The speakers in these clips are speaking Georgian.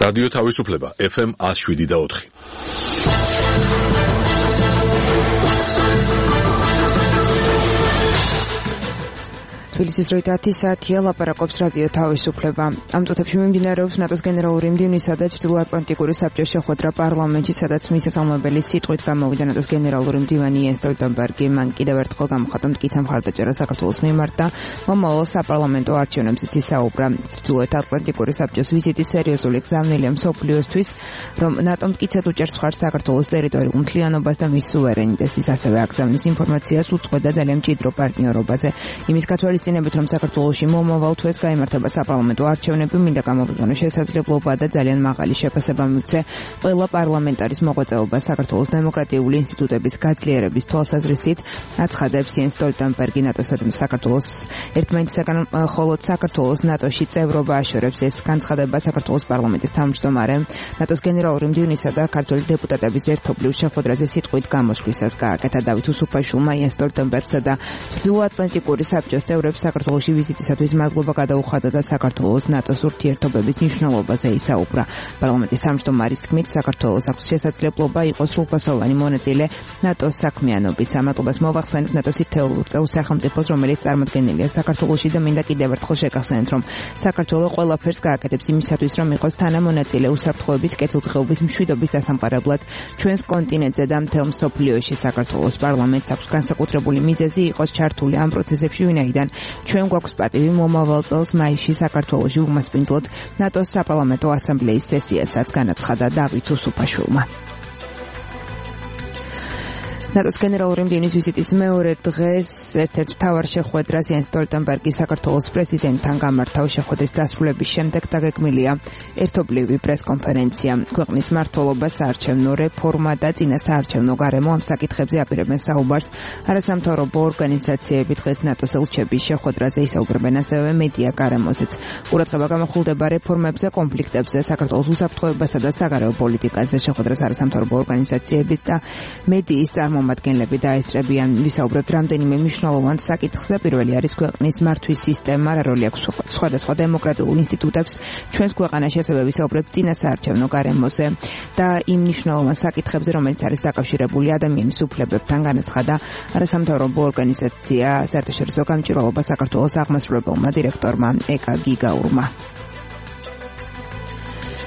რადიო თავისუფლება FM 107.4. თბილისის დროით 10 საათია, ლაპარაკობს რადიო თავისუფლება. ამ წუთებში მიმდინარეობს ნატოს გენერალური მდივნისა და ჩრდილოატლანტიკური საბჭოს შეხვედრა პარლამენტში, სადაც მისასალმებელი სიტყვით გამოვიდა ნატოს გენერალური მდივანი იენს სტოლტენბერგი. მან კიდევ ერთხელ გამოხატა მტკიცე მხარდაჭერა საქართველოს მიმართ და მომავალ საპარლამენტო არჩევნებზეც ისაუბრა. ჩრდილოატლანტიკური საბჭოს ვიზიტი სერიოზული გზავნილია მსოფლიოსთვის, რომ ნატო მტკიცედ უჭერს მხარს საქართველოს ტერიტორიულ მთლიანობას და მის სუვერენიტეტს. ის ასევე აგზავნის ინფორმაციას უწყო და ძალიან მჭიდრო პარტნიორობაზე. იმის გათვალისწინებით, რომ საქართველოში მომავალ თვეს გაიმართება საპარლამენტო არჩევნები, მინდა გამოვიყენო შესაძლებლობა და ძალიან მაღალი შეფასება მივცე ყველა პარლამენტარის მოღვაწეობას საქართველოს დემოკრატიული ინსტიტუტების გაძლიერების თვალსაზრისით, აცხადებს იენს სტოლტენბერგი. ნატოსა და საქართველოს ერთმანეთისაგან მხოლოდ საქართველოს ნატოში წევრობა აშორებს. ეს განცხადება საქართველოს პარლამენტის თავმჯდომარე ნატოს გენერალური მდივნისა და ქართველი დეპუტატების ერთობლივ შეხვედრაზე სიტყვით გამოსვლისას გააკეთა. დავით უსუფაშვილმა იენს სტოლტენბერგსა და ჩრდილოატლანტიკური საბჭოს წევრებს საქართველოში ვიზიტისათვის მადლობა გადაუხადა და საქართველოს ნატოს ურთიერთობების მნიშვნელობაზე ისაუბრა. პარლამენტის თავმჯდომარის თქმით, საქართველოს აქვს შესაძლებლობა იყოს სრულფასოვანი მონაწილე ნატოს საქმიანობის. ამატობას მოვახსენებთ ნატოს თითოეულ წევრ სახელმწიფოს, რომელიც წარმოდგენილია საქართველოში და მინდა კიდევ ერთხელ შეგახსენოთ, რომ საქართველო ყველაფერს გააკეთებს იმისათვის, რომ იყოს თანამონაწილე უსაფრთხოების, კეთილდღეობის, მშვიდობის დასამყარებლად ჩვენს კონტინენტზე და მთელ მსოფლიოში. საქართველოს პარლამენტს აქვს განსაკუთრებული მიზეზი იყოს ჩართული ამ პროცესებში, ვინაიდან ჩვენ გვაქვს პატივი მომავალ წელს მაისში საქართველოში უმასპინძლოთ ნატოს საპარლამენტო ასამბლეის სესიასაც, განაცხადა დავით უსუფაშვილმა. ნატოს გენერალური მდივნის ვიზიტის მეორე დღეს ერთ-ერთ მთავარ შეხვედრას იენს სტოლტენბერგი საქართველოს პრეზიდენტთან გამართა. შეხვედრის დასრულების შემდეგ დაგეგმილია ერთობლივი პრესკონფერენცია. ქვეყნის მმართველობა, საარჩევნო რეფორმა და წინასაარჩევნო გარემო ამ საკითხებზე აპირებენ საუბარს. არასამთავრობო ორგანიზაციები დღეს ნატოს ელჩების შეხვედრაზე ისაუბრებენ, ასევე მედია გარემოზეც. ყურადღება გამახვილდება რეფორმებზე, კონფლიქტებზე, საქართველოს უსაფრთხოებასა და საგარეო პოლიტიკაზე. შეხვედრას არასამთავრობო ორგანიზაციების და მედიის წარმომადგენლები დაესწრებიან. ვისაუბრებთ რამდენიმე მნიშვნელოვან საკითხზე. პირველი არის ქვეყნის მართვის სისტემა, რა როლი აქვს სხვადასხვა დემოკრატიულ ინსტიტუტებს ჩვენს ქვეყანაში, ასევე ვისაუბრებთ წინასაარჩევნო გარემოზე და იმ მნიშვნელოვან საკითხებზე, რომელიც არის დაკავშირებული ადამიანის უფლებებთან, განაცხადა არასამთავრობო ორგანიზაცია საერთაშორისო გამჭვირვალობა საქართველოს აღმასრულებელმა დირექტორმა ეკა გიგაურმა.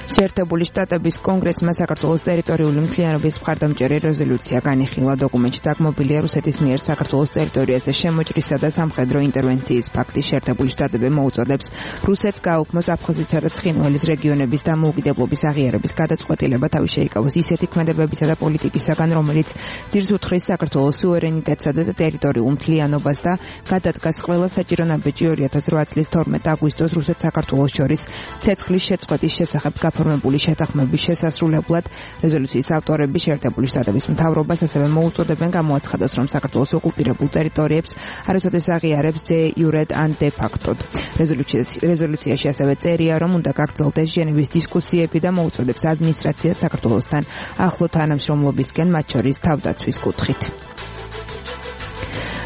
შეერთებული შტატების კონგრესმა საქართველოს ტერიტორიული მთლიანობის მხარდამჭერი რეზოლუცია განიხილა. დოკუმენტში დაგმობილია რუსეთის მიერ საქართველოს ტერიტორიაზე შემოჭრისა და სამხედრო ინტერვენციის ფაქტი. შეერთებული შტატები მოუწოდებს რუსეთს გააუქმოს აფხაზეთისა და ცხინვალის რეგიონების დამოუკიდებლობის აღიარების გადაწყვეტილება, თავი შეიკავოს ისეთი ქმედებებისა და პოლიტიკისაგან, რომელიც ძირს უთხრის საქართველოს სუვერენიტეტსა და ტერიტორიულ მთლიანობას და გადადგას ყველა საჭირო ნაბეჭი 2008 წლის 12 აგვისტოს რუსეთ-საქართველოს შორის ცეცხლის შეწყვეტის შესახებ ფორმებული შეთანხმების შესასრულებლად. რეზოლუციის ავტორები შეერთებული შტატების მთავრობას ასევე მოუწოდებენ გამოაცხადოს, რომ საქართველოს ოკუპირებულ ტერიტორიებს არასოდეს აღიარებს de jure ან de facto. რეზოლუციაში ასევე წერია, რომ უნდა გაგრძელდეს ჟენევის დისკუსიები და მოუწოდებს ადმინისტრაციას საქართველოსთან ახლო თანამშრომლობისკენ, მათ შორის თავდაცვის კუთხით.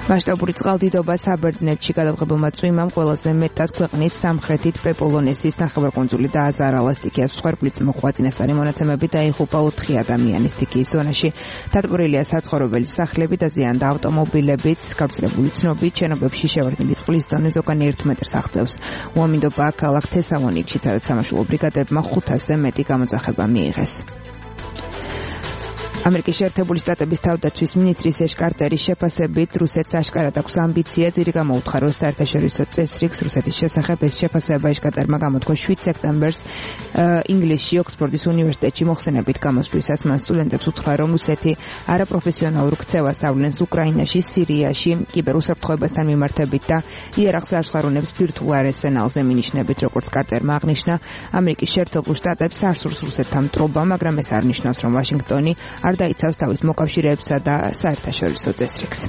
მასშტაბური წყალდიდობა საბერძნეთში გადაღებულმა წვიმამ ყველაზე მეტად ქვეყნის სამხრეთით პეპოლონესის ნახევარკუნძული და აზარალას სტიქიას მსხვერპლიც მოხვა. წინასწარი მონაცემებით დაიღუპა 4 ადამიანი. სტიქიის ზონაში დატბორილია საცხოვრებელი სახლები და ზიანდა ავტომობილებიც. გავრცელებული ცნობით, შენობებში შევარდნილი წყლის დონე ზოგანი 1 მეტრს აღწევს. უამინდობა ქალაქ თესალონიკში, სადაც სამაშველო ბრიგადებმა 500-ზე მეტი გამოძახება მიიღეს. ამერიკის შეერთებული შტატების თავდაცვის მინისტრის ეშ კარტერის შეფასებით, რუსეთს აშკარად აქვს ამბიცია ძირი გამოუთხაროს საერთაშორისო წესრიგს რუსეთის შესახებ. ეს შეფასება ეშ კარტერმა გამოთქვა 7 სექტემბერს ინგლისში ოქსფორდის უნივერსიტეტში მოხსენებით გამოსვლისას. მან სტუდენტებს უთხრა, რომ რუსეთი არაპროფესიონალურ ქცევას ავლენს უკრაინაში, სირიაში, კიბერუსაფრთხოებასთან მიმართებით და იერარქს აღსხარუნებს ბირთვულ არსენალზე. მინიშნებით, როგორც კარტერმა აღნიშნა, ამერიკის შეერთებულ შტატებს არ სურს რუსეთთან მტრობა, მაგრამ ეს არ ნიშნავს, რომ ვაშინგტონი არ დაიცავს თავის მოკავშირეებსა და საერთაშორისო წესრიგს.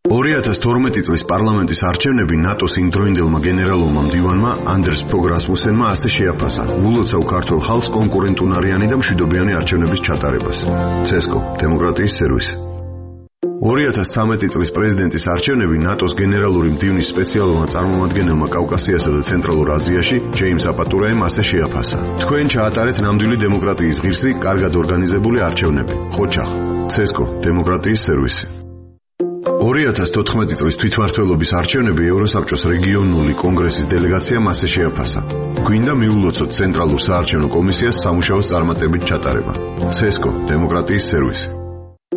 2012 წლის პარლამენტის არჩევნები ნატოს იმდროინდელმა გენერალურმა მდივანმა ანდრეს ფოგ რასმუსენმა ასე შეაფასა: "ვულოცავ ქართულ ხალხს კონკურენტუნარიანი და მშვიდობიანი არჩევნების ჩატარებას." CESCO დემოკრატიის სერვისი. 2013 წლის პრეზიდენტის არჩევნები ნატოს გენერალური მდივნის სპეციალურმა წარმომადგენელმა კავკასიასა და ცენტრალურ აზიაში ჯეიმს აპატურაემ ასე შეაფასა: "თქვენ ჩაატარეთ ნამდვილი დემოკრატიის ღირსი, კარგად ორგანიზებული არჩევნები." ხოჩახ. CESCO დემოკრატიის სერვისი. 2014 წლის თვითმმართველობის არჩევნები ევროსაბჭოს რეგიონული კონგრესის დელეგაციამ ასე შეაფასა: "გვინდა მიულოცოთ ცენტრალურ საარჩევნო კომისიას სამუშაოს წარმატებით ჩატარება." CESCO დემოკრატიის სერვისი.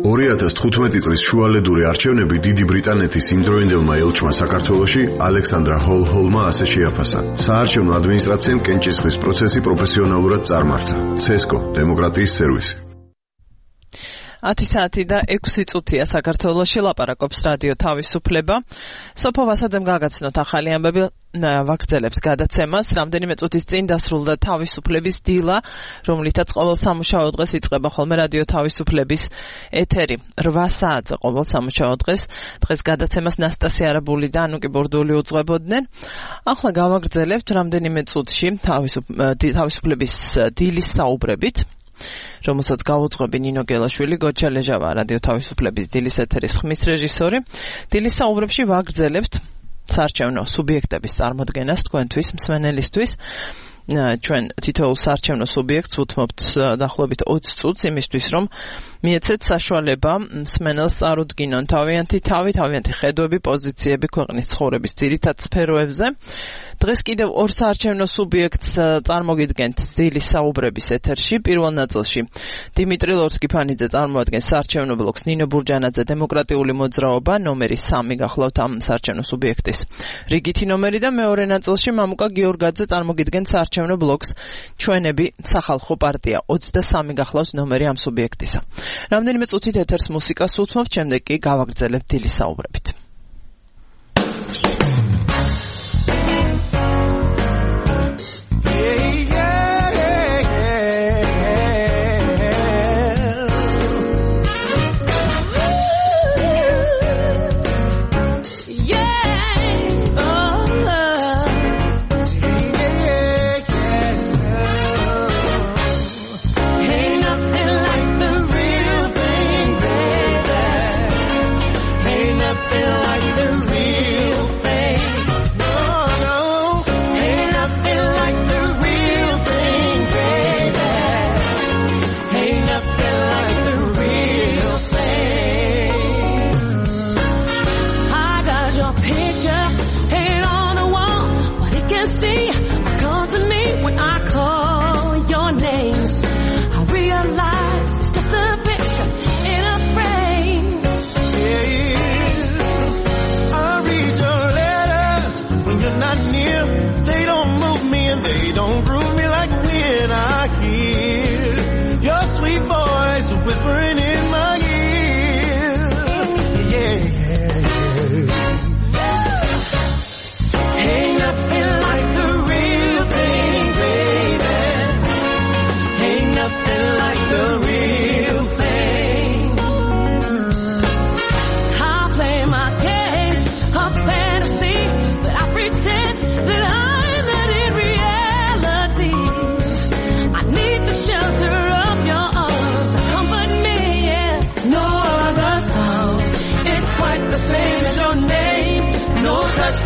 2015 წლის შუალედური არჩევნები დიდი ბრიტანეთის იმდროინდელმა ელჩმა საქართველოში ალექსანდრა ჰოლჰოლმა ასე შეაფასა: "საარჩევნო ადმინისტრაციამ კენჭისყრის პროცესი პროფესიონალურად წარმართა." CESCO დემოკრატიის სერვისი. 10 საათი და 6 წუთია საქართველოში, ლაპარაკობს რადიო თავისუფლება. სოფო ვასაძემ გაგაცნოთ ახალი ამბები, ვაგრძელებთ გადაცემას. რამდენიმე წუთის წინ დასრულდა თავისუფლების დილა, რომლითაც ყოველ სამუშაო დღეს იწყება ხოლმე რადიო თავისუფლების ეთერი. 8 საათზე ყოველ სამუშაო დღეს გადაცემას ნასტასია არაბული და ანუკი ბორდული უძღვებოდნენ. ახლა გავაგრძელებთ რამდენიმე წუთში თავისუფლების დილის საუბრებით, რომელსაც გაუძღვები ნინო გელაშვილი, გოჩა ლეჟავა, რადიო თავისუფლების დილის ეთერის ხმის რეჟისორი. დილის საუბრებში ვაგრძელებთ საარჩევნო სუბიექტების წარმოდგენას თქვენთვის, მსმენელისთვის. ჩვენ თითოეულ საარჩევნო სუბიექტს უთმობთ დაახლოებით 20 წუთს იმისთვის, რომ მიეცეთ საშუალება მსმენელს წარუდგინონ თავიანთი ხედვები, პოზიციები ქვეყნის ცხოვრების ძირითად სფეროებზე. დღეს კიდევ ორ საარჩევნო სუბიექტს წარმოგიდგენთ დილის საუბრების ეთერში. პირველ ნაწილში დიმიტრი ლორსკიფანიძე წარმოადგენს საარჩევნო ბლოკს, ნინო ბურჯანაძე დემოკრატიული მოძრაობა, ნომერი 3 გახლავთ ამ საარჩევნო სუბიექტის რიგითი ნომერი და მეორე ნაწილში მამუკა გიორგაძე წარმოგიდგენს საარჩევნო ბლოკს, ჩვენები სახალხო პარტია, 23 გახლავს ნომერი ამ სუბიექტისა. რამდენიმე წუთით ეთერს მუსიკას უთმობთ, შემდეგ კი გავაგრძელებთ დილის საუბრებით.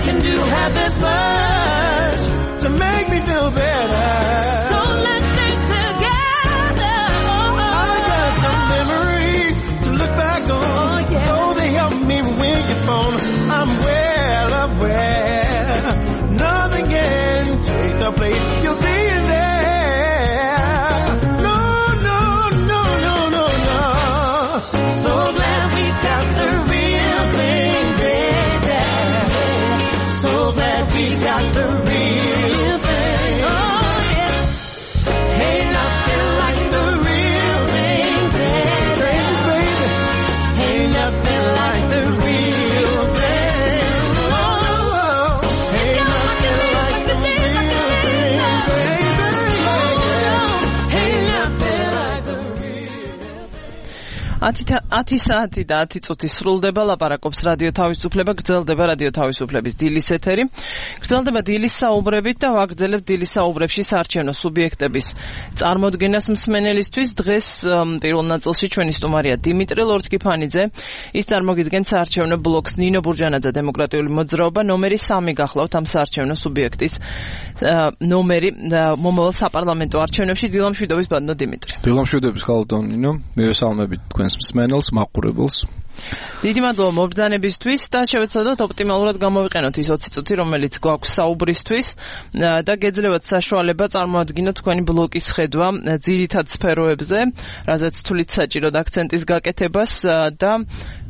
Can do have this much to make me feel better. So let's stay together. I got some memories to look back on. Oh, they help me when you're gone. I'm well aware nothing can take the place you'll be there. No, no, no, no, no, no. So glad we got the real thing, baby. So glad we got the real thing. Oh yeah. Ain't nothing like the real thing, baby. Crazy, baby. Ain't nothing like the real thing. Oh, ain't nothing like the real thing, baby. Ain't nothing like the real thing. 10 საათი და 10 წუთი სრულდება ლაპარაკობს რადიო თავისუფლება, გრძელდება რადიო თავისუფლების დილის ეთერი. გრძელდება დილის საუბრებით და ვაგრძელებთ დილის საუბრებში საარჩევნო სუბიექტების წარმოდგენას მსმენელისთვის. დღეს პირველ ნაწილში ჩვენი სტუმარია დიმიტრი ლორთქიფანიძე. ის წარმოგიდგენთ საარჩევნო ბლოკს ნინო ბურჯანაძე დემოკრატიული მოძრაობა. ნომერი 3 გახლავთ ამ საარჩევნო სუბიექტის ნომერი მომავალ საპარლამენტო არჩევნებში. დილამშვიდობის ბატონო დიმიტრი. დილამშვიდობის ხალხო ნინო, მივესალმებით თქვენს მსმენელს, მაყურებელს. დიდი მადლობა მობრძანებისთვის და შევეცადოთ ოპტიმალურად გამოვიყენოთ ის 20 წუთი, რომელიც გვაქვს საუბრისთვის და გეძლევათ საშუალება წარმოადგინოთ თქვენი ბლოკის ხედვა ძირითად სფეროებზე, რაზეც თulit საჭიროდ აქცენტის გაკეთებას და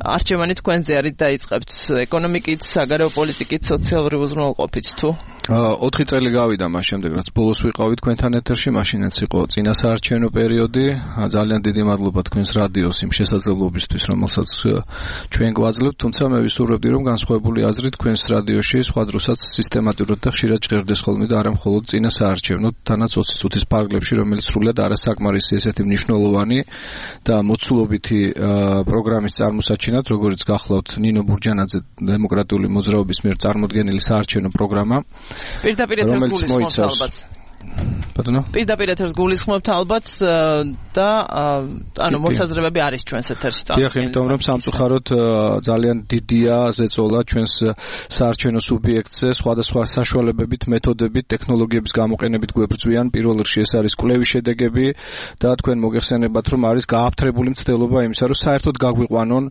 არჩევანი თქვენზე არის დაიწყებთ ეკონომიკით, საგარეო პოლიტიკით, სოციალური უზრუნველყოფით თუ 4 წელი გავიდა მას შემდეგ, რაც ბოლოს ვიყავით თქვენთან ეთერში, მაშინაც იყო წინა საარჩევნო პერიოდი. ძალიან დიდი მადლობა თქვენს რადიოს იმ შესაძლებლობისთვის, რომელსაც ჩვენ გვაძლევთ, თუმცა მე ვისურვებდი, რომ განსხვავებული აზრი თქვენს რადიოში სხვა დროსაც სისტემატურად და ხშირად ჭირდეს ხოლმე და არა მხოლოდ წინა საარჩევნოდ, თანაც 20 წუთის პარკლებში, რომელიც სრულად არასაკმარისი ესეთი მნიშვნელოვანი და მოცულობითი პროგრამის წარმოსაჩინად, როგორც გახლავთ ნინო ბურჯანაძე დემოკრატიული მოძრაობის მიერ წარმოდგენილი საარჩევნო პროგრამა. პირდაპირ ეთერს გულისხმობთ ალბათ. ბატონო? პირდაპირ ეთერს გულისხმობთ ალბათ და ანუ მოსაზრებები არის ჩვენს ეთერში წარმოქმნილი. დიახ, იმიტომ რომ სამწუხაროდ ძალიან დიდია ზეწოლა ჩვენს საარჩევნო სუბიექტზე, სხვადასხვა საშუალებებით, მეთოდებით, ტექნოლოგიების გამოყენებით გვებრძვიან. პირველ რიგში ეს არის კვლევის შედეგები და თქვენ მოგეხსენებათ, რომ არის გააფთრებული მცდელობა იმისა, რომ საერთოდ გაგვიყვანონ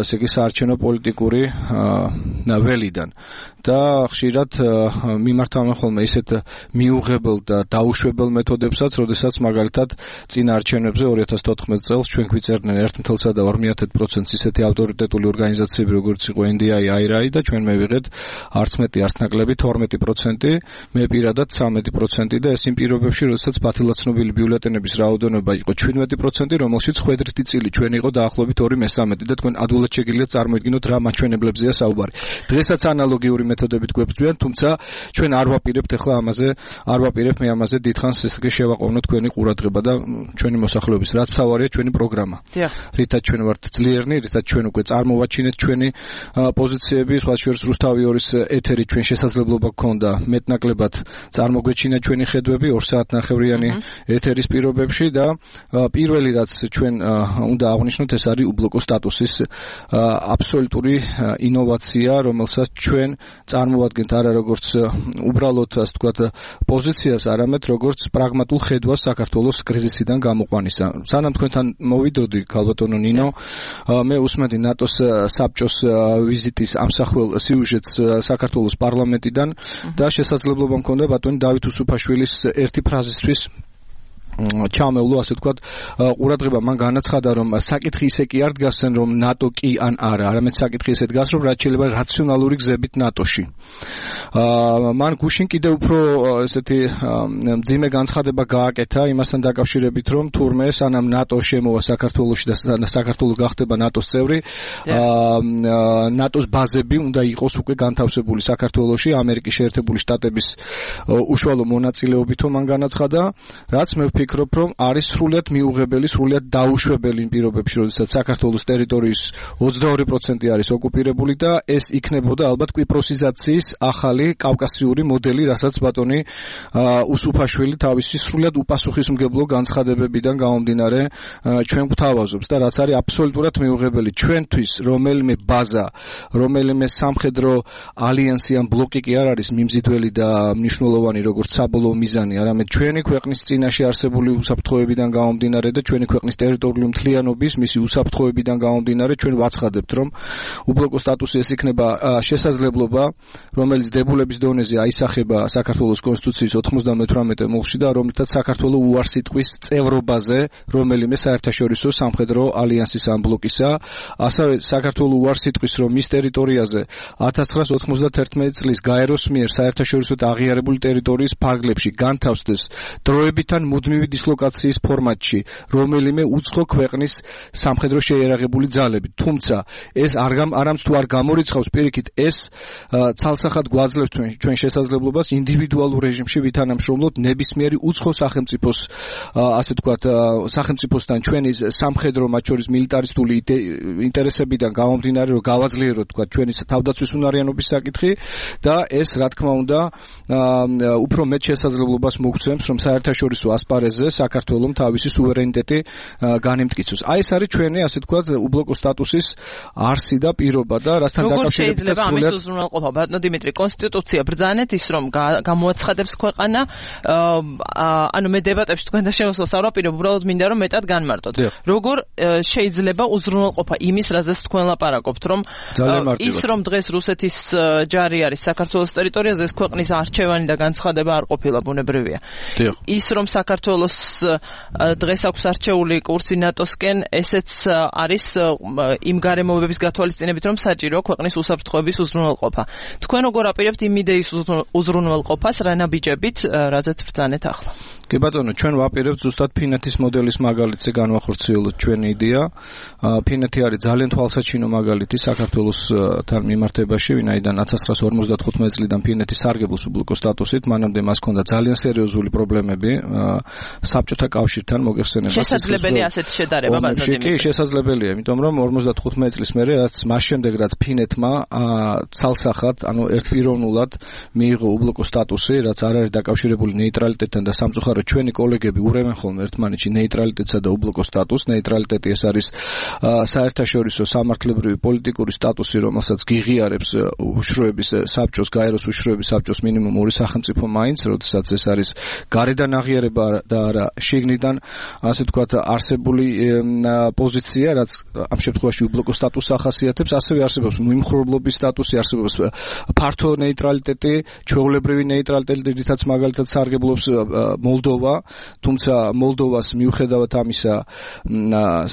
ესე იგი საარჩევნო პოლიტიკური ველიდან. და ხშირად მიმართავენ ხოლმე ისეთ მიუღებელ და დაუშვებელ მეთოდებსაც, როდესაც მაგალითად წინა არჩევნებზე 2014 წელს ჩვენ გვიწერდნენ 1.2% ისეთი ავტორიტეტული ორგანიზაციები, როგორც იყო NDI, IRI და ჩვენ მივიღეთ არც მეტი არც ნაკლები 12%, მე პირადად 13% და ეს იმ პირობებში, როდესაც ფათილად ცნობილი ბიულეტენების რაოდენობა იყო 17%, რომელშიც ხვედრითი წილი ჩვენ იყო დაახლოებით 2/3 და თქვენ ადვილად შეგიძლიათ წარმოიდგინოთ რა მაჩვენებლებზეა საუბარი. დღესაც ანალოგიური მეთოდებით გვებრძვიან, თუმცა ჩვენ არ ვაპირებთ ახლა მე ამაზე დიდხანს ესე შევაყოვნოთ თქვენი ყურადღება და ჩვენი მოსახლეობის რაც მთავარია ჩვენი პროგრამა. რითაც ჩვენ ვართ ძლიერნი, რითაც ჩვენ უკვე წარმოვაჩინეთ ჩვენი პოზიციები, სხვა შორის რუსთავი 2-ის ეთერი ჩვენ შესაძლებლობა გქონდა მეტნაკლებად წარმოგვეჩინა ჩვენი ხედვები 2 საათნახევრიანი ეთერის პირობებში და პირველი რაც ჩვენ უნდა აღვნიშნოთ, ეს არის უბლოკო სტატუსის აბსოლუტური ინოვაცია, რომელსაც ჩვენ წარმოვადგენთ არა როგორც უბრალოდ ასე ვთქვათ პოზიციას, არამედ როგორც პრაგმატულ ხედვას საქართველოს კრიზისიდან გამოყვანისა. სანამ თქვენთან მოვიდოდი, ქალბატონო ნინო, მე უსმენდი ნატოს საბჭოს ვიზიტის ამსახველ სიუჟეტს საქართველოს პარლამენტიდან და შესაძლებლობა მქონდა ბატონი დავით უსუფაშვილის ერთი ფრაზისთვის ჩამევლო, ასე ვთქვათ, ყურადღება მან განაცხადა, რომ საკითხი ისე კი არ დგასენ, რომ ნატო კი ან არა, არამედ საკითხი ისე დგას, რომ რაც შეიძლება რაციონალური გზებით ნატოში. მან გუშინ კიდევ უფრო ესეთი მძიმე განცხადება გააკეთა იმასთან დაკავშირებით, რომ თურმე სანამ ნატო შემოვა საქართველოში და საქართველო გახდება ნატოს წევრი, ნატოს ბაზები უნდა იყოს უკვე განთავსებული საქართველოში, ამერიკის შეერთებული შტატების უშუალო მონაწილეობით, მან განაცხადა, რაც მე ვფიქრობ, რომ არის სრულიად მიუღებელი, სრულიად დაუშვებელი იმ პირობებში, როდესაც საქართველოს ტერიტორიის 22% არის ოკუპირებული და ეს იქნებოდა ალბათ კვიპროსიზაციის ახალი კავკასიური მოდელი, რასაც ბატონი უსუფაშვილი თავისი სრულიად უპასუხისმგებლო განცხადებებიდან გამომდინარე ჩვენ გვთავაზობს და რაც არის აბსოლუტურად მიუღებელი ჩვენთვის, რომელიმე ბაზა, რომელიმე სამხედრო ალიანსი ან ბლოკი კი არ არის მიმზიდველი და მნიშვნელოვანი როგორც საბოლოო მიზანი, არამედ ჩვენი ქვეყნის წინაშე არსებული უსაფრთხოებიდან გამომდინარე და ჩვენი ქვეყნის ტერიტორიული მთლიანობის, მისი უსაფრთხოებიდან გამომდინარე ჩვენ ვაცხადებთ, რომ უბლოკო სტატუსი ეს იქნება შესაძლებლობა, რომელიც დებულების დონეზე აისახება საქართველოს კონსტიტუციის 98 მოლში და რომლითაც საქართველოს უარსიტყვის წევრობაზე, რომელიმე საერთაშორისო სამხედრო ალიანსის ან ბლოკისა, ასევე საქართველოს უარსიტყვის, რომ მის ტერიტორიაზე 1991 წლის გაეროს მიერ საერთაშორისო აღიარებული ტერიტორიის ფარგლებში განთავსდეს დროებითან მუდმივ მუდმივი დისლოკაციის ფორმატში რომელიმე უცხო ქვეყნის სამხედრო შეიარაღებული ძალები. თუმცა ეს არამც თუ არ გამორიცხავს პირიქით ეს ცალსახად გვაძლევს ჩვენ შესაძლებლობას ინდივიდუალურ რეჟიმში ვითანამშრომლოთ ნებისმიერი უცხო სახელმწიფოს ასე ვთქვათ სახელმწიფოსთან ჩვენი სამხედრო მათ შორის მილიტარისტული ინტერესებიდან გამომდინარე რომ გავაძლიეროთ ვთქვათ ჩვენი თავდაცვის უნარიანობის საკითხი და ეს რა თქმა უნდა უფრო მეტ შესაძლებლობას მოგცემს რომ საერთაშორისო ასპარეზზე საქართველოს თავისი სუვერენიტეტი განემტკიცოს. აი ეს არის ჩვენი ასე ვთქვათ უბლოკო სტატუსის არსი და პირობა და რასთან დაკავშირებით შეიძლება ამის უზრუნველყოფა ბატონო დიმიტრი კონსტიტუცია ბრძანეთ ის რომ გამოაცხადებს ქვეყანა ანუ მე დებატებში თქვენთან შემოსვლას არ ვაპირებ უბრალოდ მინდა რომ მეტად განმარტოთ როგორ შეიძლება უზრუნველყოფა იმის რაზეც თქვენ ლაპარაკობთ რომ ის რომ დღეს რუსეთის ჯარი არის საქართველოს ტერიტორიაზე ეს ქვეყნის არჩევანი და განცხადება არ ყოფილა ბუნებრივია ის რომ საქართველოს დღეს აქვს არჩეული კურსი ნატოსკენ ესეც არის იმ გარემოებების გათვალისწინებით რომ საჭირო ქვეყნის უსაფრთხოების უზრუნველყოფა თქვენ როგორ აპირებთ იმ იდეის უზრუნველყოფას რა ნაბიჯებით რაზეც ბრძანეთ ახლა კი ბატონო ჩვენ ვაპირებთ ზუსტად ფინეთის მოდელის მაგალითზე განვახორციელოთ ჩვენი იდეა ფინეთი არის ძალიან თვალსაჩინო მაგალითი საქართველოსთან მიმართებაში ვინაიდან 1955 წლიდან ფინეთი სარგებლობს უბლოკო სტატუსით მანამდე მას ჰქონდა ძალიან სერიოზული პრობლემები საბჭოთა კავშირთან მოგეხსენებათ შესაძლებელია ასეთი შედარება ბატონო დიმიტრი კი შესაძლებელია იმიტომ რომ 55 წლის მერე რაც მას შემდეგ რაც ფინეთმა ცალსახად ანუ ერთპიროვნულად მიიღო უბლოკო სტატუსი რაც არ არის დაკავშირებული ნეიტრალიტეტთან და სამწუხაროდ ჩვენი კოლეგები ურევენ ხოლმე ერთმანეთში ნეიტრალიტეტსა და უბლოკო სტატუსს ნეიტრალიტეტი ეს არის საერთაშორისო სამართლებრივი პოლიტიკური სტატუსი რომელსაც გიღიარებს უშროების საბჭოს გაეროს უშროების საბჭოს მინიმუმ ორი სახელმწიფო მაინც როდესაც ეს არის გარედან აღიარება და არა შიგნიდან ასე ვთქვათ არსებული პოზიცია რაც ამ შემთხვევაში უბლოკო სტატუსს ახასიათებს ასევე არსებობს მიმხრობლობის სტატუსი არსებობს ფართო ნეიტრალიტეტი ჩვეულებრივი ნეიტრალიტეტი რითაც მაგალითად სარგებლობს მოლდოვა თუმცა მოლდოვას მიუხედავად ამისა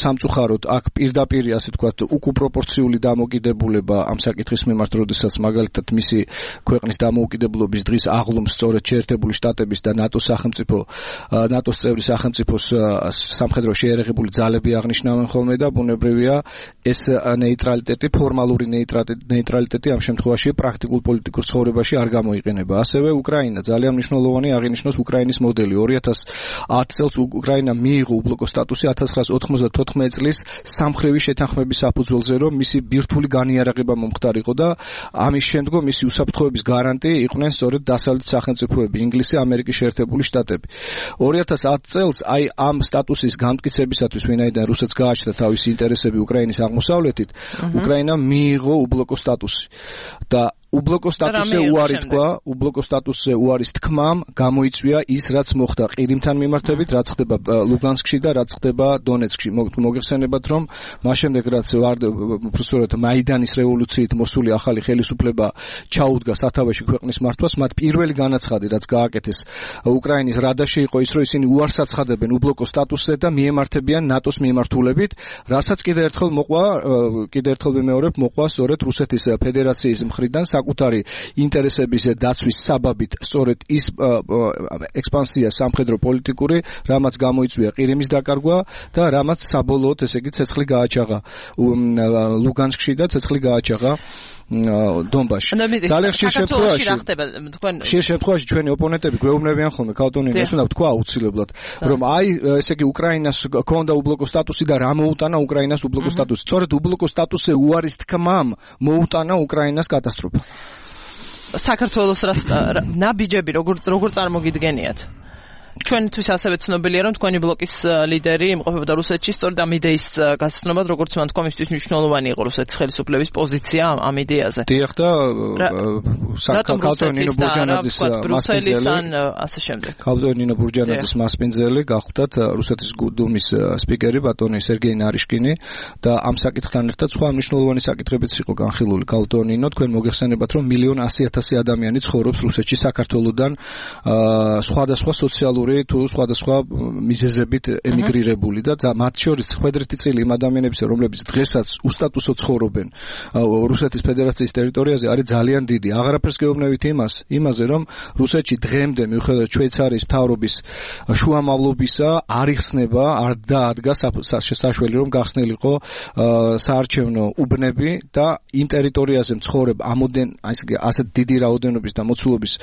სამწუხაროდ აქ პირდაპირ ასე ვთქვათ უკუპროპორციული დამოკიდებულება ამ საკითხის მიმართ როდესაც მაგალითად მისი ქვეყნის დამოუკიდებლობის დღის აღლუმს სწორედ შეერთებული შტატების და ნატოს სახელმწიფო ნატოს წევრი სახელმწიფოს სამხედრო შეიარაღებული ძალები აღნიშნავენ ხოლმე და ბუნებრივია ეს ნეიტრალიტეტი ფორმალური ნეიტრალიტეტი ამ შემთხვევაში პრაქტიკულ პოლიტიკურ ცხოვრებაში არ გამოიყენება ასევე უკრაინა ძალიან მნიშვნელოვანი აღინიშნოს უკრაინის მოდელი 2010 წელს უკრაინა მიიღო უბლოკო სტატუსი 1994 წლის სამხრევი შეთანხმების საფუძველზე რომ მისი ბირთვული განიარაღება მომხდარიყო და ამის შემდგომ მისი უსაფრთხოების გარანტი იყვნენ სწორედ დასავლეთ სახელმწიფოები ინგლისი ამერიკის შეერთებული შტატები 2010 წელს აი ამ სტატუსის განმტკიცებისათვის ვინაიდან რუსეთს გააჩნდა თავისი ინტერესები უკრაინის აღმოსავლეთით უკრაინამ მიიღო უბლოკო სტატუსი და უბლოკო სტატუსზე უარი თქვა, უბლოკო სტატუსზე უარის თქმამ გამოიწვია ის, რაც მოხდა ყირიმთან მიმართებით, რაც ხდება ლუგანსკში და რაც ხდება დონეცკში. მოგეხსენებათ, რომ მას შემდეგ რაც უბრალოდ მაიდანის რევოლუციით მოსული ახალი ხელისუფლება ჩაუდგა სათავეში ქვეყნის მართვას, მათ პირველი განაცხადი, რაც გააკეთეს უკრაინის რადაში იყო ის, რომ ისინი უარს აცხადებენ უბლოკო სტატუსზე და მიემართებიან ნატოს მიმართულებით, რასაც კიდევ ერთხელ ვიმეორებ, მოყვა სწორედ რუსეთის ფედერაციის მხრიდან საკუთარი ინტერესების დაცვის საბაბით სწორედ ის ექსპანსია სამხედრო პოლიტიკური, რამაც გამოიწვია ყირიმის დაკარგვა და რამაც საბოლოოდ ესე იგი ცეცხლი გააჩაღა ლუგანსკში და ცეცხლი გააჩაღა დონბასში. ძალიან ხშირ შემთხვევაში ჩვენი ოპონენტები გვეუბნებიან ხოლმე ქალტონინოს უნდა თქვა აუცილებლად რომ აი ესე იგი უკრაინას ჰქონდა უბლოკო სტატუსი და რა მოუტანა უკრაინას უბლოკო სტატუსი. სწორედ უბლოკო სტატუსზე უარის თქმამ მოუტანა უკრაინას კატასტროფა. საქართველოს ნაბიჯები როგორ წარმოგიდგენიათ? ჩვენთვის ასევე ცნობილია რომ თქვენი ბლოკის ლიდერი იმყოფებოდა რუსეთში სწორედ ამ იდეის გასაცნობად როგორც მან თქვა მისთვის მნიშვნელოვანი იყო რუსეთის ხელისუფლების პოზიცია ამ იდეაზე. დიახ და ქალტონინო ბურჯანაძის ქალტონინო ბურჯანაძის მასპინძელი გახლდათ რუსეთის დუმის სპიკერი ბატონი სერგეი ნარიშკინი და ამ საკითხთან ერთად სხვა მნიშვნელოვანი საკითხებიც იყო განხილული. ქალტონინო თქვენ მოგეხსენებათ რომ 1,100,000 ადამიანი ცხოვრობს რუსეთში საქართველოსთან სხვადასხვა სოციალური პოლიტიკური თუ სხვადასხვა მიზეზებით ემიგრირებული და მათ შორის ხვედრითი წილი იმ ადამიანებისა, რომლებიც დღესაც უსტატუსო ცხოვრობენ რუსეთის ფედერაციის ტერიტორიაზე, არის ძალიან დიდი. აღარაფერს გეუბნებით იმაზე, რომ რუსეთში დღემდე მიუხედავად შვეიცარიის მთავრობის შუამავლობისა არ იხსნება, არ დაადგა საშუალება რომ გახსნილიყო საარჩევნო უბნები და იმ ტერიტორიაზე მცხოვრებ ასეთ დიდი რაოდენობის და მოცულობის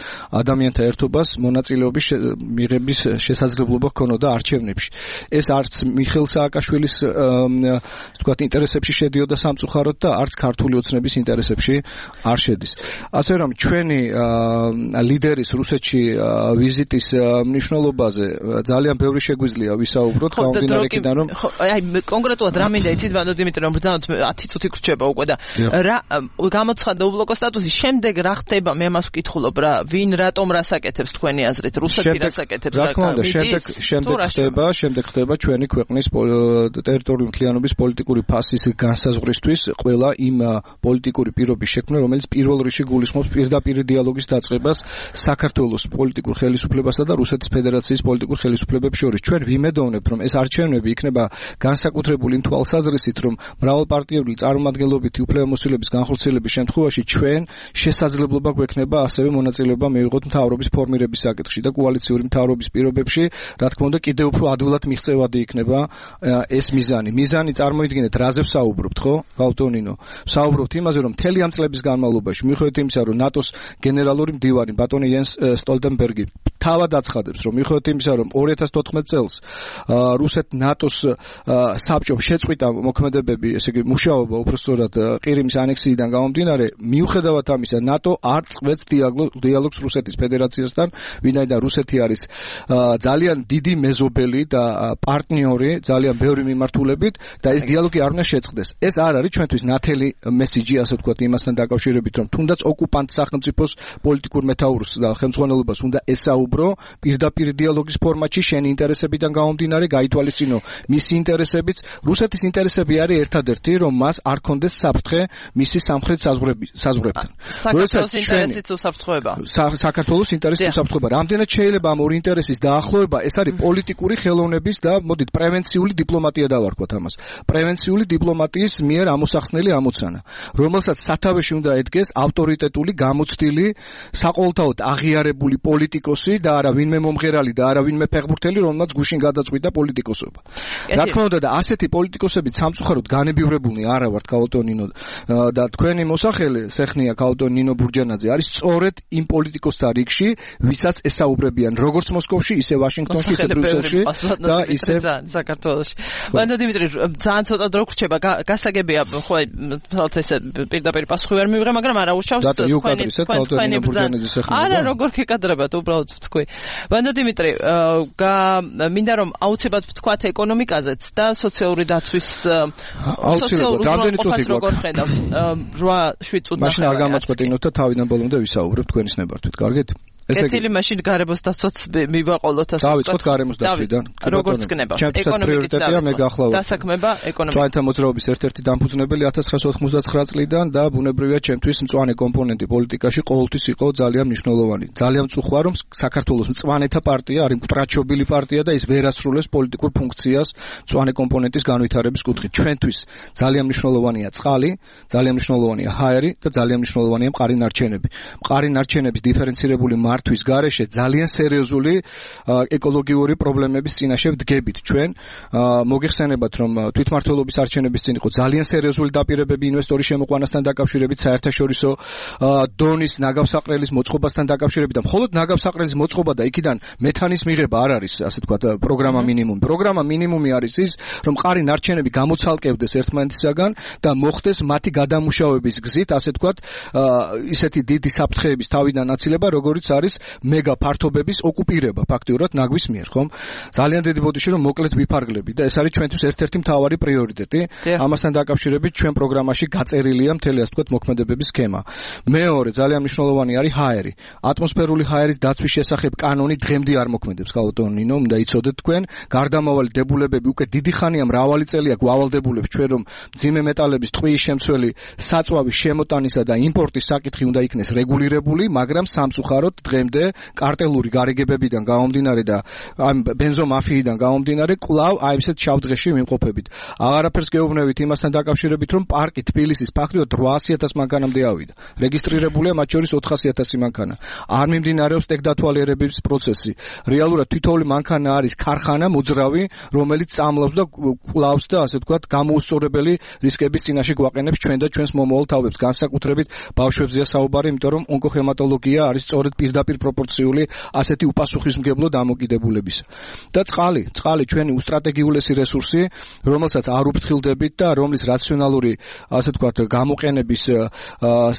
ადამიანთა ერთობას მონაწილეობის მიღების შესაძლებლობა ჰქონოდა არჩევნებში. ეს არც მიხეილ სააკაშვილის თქვათ ინტერესებში შედიოდა სამწუხაროდ და არც ქართული ოცნების ინტერესებში არ შედის. ასე რომ ჩვენი ლიდერის რუსეთში ვიზიტის მნიშვნელობაზე ძალიან ბევრი შეგვიძლია ვისაუბროთ გამომდინარე იქიდან რომ აი კონკრეტულად რა მინდა იცით ბანდო დიმიტრი რომ ბრძანოთ 10 წუთი გრჩება უკვე და რა გამოცხადდა უბლოკო სტატუსი შემდეგ რა ხდება მე ამას ვკითხულობ რა ვინ რატომ რას აკეთებს თქვენი აზრით რუსეთი რას აკეთებს რა თქმა უნდა შემდეგ ხდება ჩვენი ქვეყნის ტერიტორიული მთლიანობის პოლიტიკური ფასის განსაზღვრისთვის ყველა იმ პოლიტიკური პირობის შექმნა რომელიც პირველ რიგში გულისხმობს პირდაპირ დიალოგის დაწყებას საქართველოს პოლიტიკურ ხელისუფლებასა და რუსეთის ფედერაციის პოლიტიკურ ხელისუფლებებს შორის. ჩვენ ვიმედოვნებთ რომ ეს არჩევნები იქნება განსაკუთრებული იმ თვალსაზრისით რომ მრავალპარტიული წარმომადგენლობითი უფლებამოსილების განხორციელების შემთხვევაში ჩვენ შესაძლებლობა გვექნება ასევე მონაწილეობა მივიღოთ მთავრობის ფორმირების საკითხში და კოალიციური მთავრობის პირობებში რა თქმა უნდა კიდევ უფრო ადვილად მიღწევადი იქნება ეს მიზანი. მიზანი წარმოიდგინეთ რაზე ვსაუბრობთ ხო გაუტონინო ვსაუბრობთ იმაზე რომ მთელი ამ წლების განმავლობაში მიუხედავად იმისა რომ ნატოს გენერალური მდივანი ბატონი იენს სტოლტენბერგი თავად აცხადებს რომ მიუხედავად იმისა რომ 2014 წელს რუსეთ ნატოს საბჭომ შეწყვიტა მოქმედებები ესე იგი მუშაობა უბრალოდ ყირიმის ანექსიიდან გამომდინარე მიუხედავად ამისა ნატო არ წყვეტს დიალოგს რუსეთის ფედერაციასთან ვინაიდან რუსეთი არის ძალიან დიდი მეზობელი და პარტნიორი ძალიან ბევრი მიმართულებით და ეს დიალოგი არ უნდა შეწყდეს. ეს არ არის ჩვენთვის ნათელი მესიჯი ასე ვთქვათ იმასთან დაკავშირებით რომ თუნდაც ოკუპანტ სახელმწიფოს პოლიტიკურ მეთაურს და ხელმძღვანელობას უნდა ესაუბრო პირდაპირ დიალოგის ფორმატში შენი ინტერესებიდან გამომდინარე გაითვალისწინო მისი ინტერესებიც რუსეთის ინტერესები არის ერთადერთი რომ მას არ კონდეს საფრთხე მისი სამხრეთ საზღვრებთან. საქართველოს ინტერესიც უსაფრთხოება. საქართველოს ინტერესიც უსაფრთხოება. რამდენად შეიძლება ამ ორი ინტერესის დაახლოება ეს არის პოლიტიკური ხელოვნების და მოდით პრევენციული დიპლომატია დავარქვათ ამას. პრევენციული დიპლომატიის მიერ ამოსახსნელი ამოცანა, რომელსაც სათავეში უნდა ედგეს ავტორიტეტული, გამოცდილი, საყოველთაოდ აღიარებული პოლიტიკოსი და არა ვინმე მომღერალი და არა ვინმე ფეხბურთელი, რომელმაც გუშინ გადაწყვიტა პოლიტიკოსობა. რა თქმა უნდა და ასეთი პოლიტიკოსები სამწუხაროდ განებივრებულნი არა ვართ კაუტონინო და თქვენი მოსახელე სეხნია კაუტონინო ბურჯანაძე არის სწორედ იმ პოლიტიკოსთა რიგში, ვისაც ესაუბრებიან როგორც მოსკოვში, ისე ვაშინგტონში, ისე ბრიუსელში და ისე საქართველოში. ბანდო დიმიტრი ძალიან ცოტა დრო გრჩება გასაგებია ხო თალთ ესე პირდაპირ პასუხი ვერ მივიღე მაგრამ არა უშავს თქვენი ბურჯანაძის სეხნია. არა როგორ გეკადრებათ უბრალოდ თქვი. ბანდო დიმიტრი მინდა რომ აუცილებლად ვთქვათ ეკონომიკაზეც და სოციალური დაცვის რამდენი წუთი როგორ ხედავთ 8-7 წუთი მაშინ არ გამაწყვეტინოთ და თავიდან ბოლომდე ვისაუბრებ თქვენის ნებართვით კარგით კეთილი მაშინ გარემოს დაცვაც მივაყოლოთ ასე ვთქვათ. დავიწყოთ გარემოს დაცვიდან. როგორც გნება. ეკონომიკითია მე გახლავთ. დასაქმება ეკონომიკა. მწვანეთა მოძრაობის ერთ-ერთი დამფუძნებელი 1999 წლიდან და ბუნებრივია ჩემთვის მწვანე კომპონენტი პოლიტიკაში ყოველთვის იყო ძალიან მნიშვნელოვანი. ძალიან მწუხვა რომ საქართველოს მწვანეთა პარტია არის მტრაჩობილი პარტია და ის ვერ ასრულებს პოლიტიკურ ფუნქციას მწვანე კომპონენტის განვითარების კუთხით. ჩვენთვის ძალიან მნიშვნელოვანია წყალი, ძალიან მნიშვნელოვანია ჰაერი და ძალიან მნიშვნელოვანია მყარი ნარჩენები. მყარი ნარჩენების დიფერენცირებული მართვის გარეშე ძალიან სერიოზული ეკოლოგიური პრობლემების წინაშე ვდგებით ჩვენ. მოგეხსენებათ რომ თვითმმართველობის არჩევნების წინ იყო ძალიან სერიოზული დაპირებები ინვესტორის შემოყვანასთან დაკავშირებით საერთაშორისო დონის ნაგავსაყრელის მოწყობასთან დაკავშირებით და მხოლოდ ნაგავსაყრელის მოწყობა და იქიდან მეთანის მიღება არ არის ასე ვთქვათ პროგრამა მინიმუმი. პროგრამა მინიმუმი არის ის რომ მყარი ნარჩენები გამოცალკევდეს ერთმანეთისაგან და მოხდეს მათი გადამუშავების გზით ასე ვთქვათ ისეთი დიდი საფრთხეების თავიდან აცილება როგორც არის მეგა ფართობების ოკუპირება ფაქტიურად ნაგვის მიერ, ხომ? ძალიან დიდი ბოდიში რომ მოკლედ ვიფარგლებით და ეს არის ჩვენთვის ერთ-ერთი მთავარი პრიორიტეტი. ამასთან დაკავშირებით ჩვენ პროგრამაში გაწერილია მთელი ასე ვთქვათ მოქმედებების სქემა. მეორე ძალიან მნიშვნელოვანი არის ჰაერი. ატმოსფერული ჰაერის დაცვის შესახებ კანონი დღემდე არ მოქმედებს, კაუტონინო, უნდა იცოდეთ თქვენ. გარდამავალი დებულებები უკვე დიდი ხანია მრავალი წელია გვავალდებულებს ჩვენ რომ მძიმე მეტალების ტყვიის შემცველი საწვავის შემოტანისა და იმპორტის საკითხი უნდა იქნეს რეგულირებული, მაგრამ სამწუხაროდ დღემდე კარტელური გარიგებებიდან გამომდინარე და ამ ბენზომაფიიდან გამომდინარე კვლავ აი ესეთ შავ დღეში ვიმყოფებით. აღარაფერს გეუბნებით იმასთან დაკავშირებით, რომ პარკი თბილისის ფაქტობრივად 800,000 მანქანამდე ავიდა. რეგისტრირებულია მათ შორის 400,000 მანქანა. არ მიმდინარეობს ტექდათვალიერების პროცესი. რეალურად თითოეული მანქანა არის ქარხანა მოძრავი, რომელიც წამლავს და კლავს და ასე ვთქვათ გამოუსწორებელი რისკების წინაშე გვაყენებს ჩვენ და ჩვენს მომავალ თავებს. განსაკუთრებით ბავშვებზეა საუბარი, იმიტომ რომ ონკოჰემატოლოგია არის სწორედ პირდაპირ პროპორციული ასეთი უპასუხისმგებლო დამოკიდებულებისა. და წყალი ჩვენი უსტრატეგიულესი რესურსი, რომელსაც არ უფრთხილდებით და რომლის რაციონალური ასე ვთქვათ გამოყენების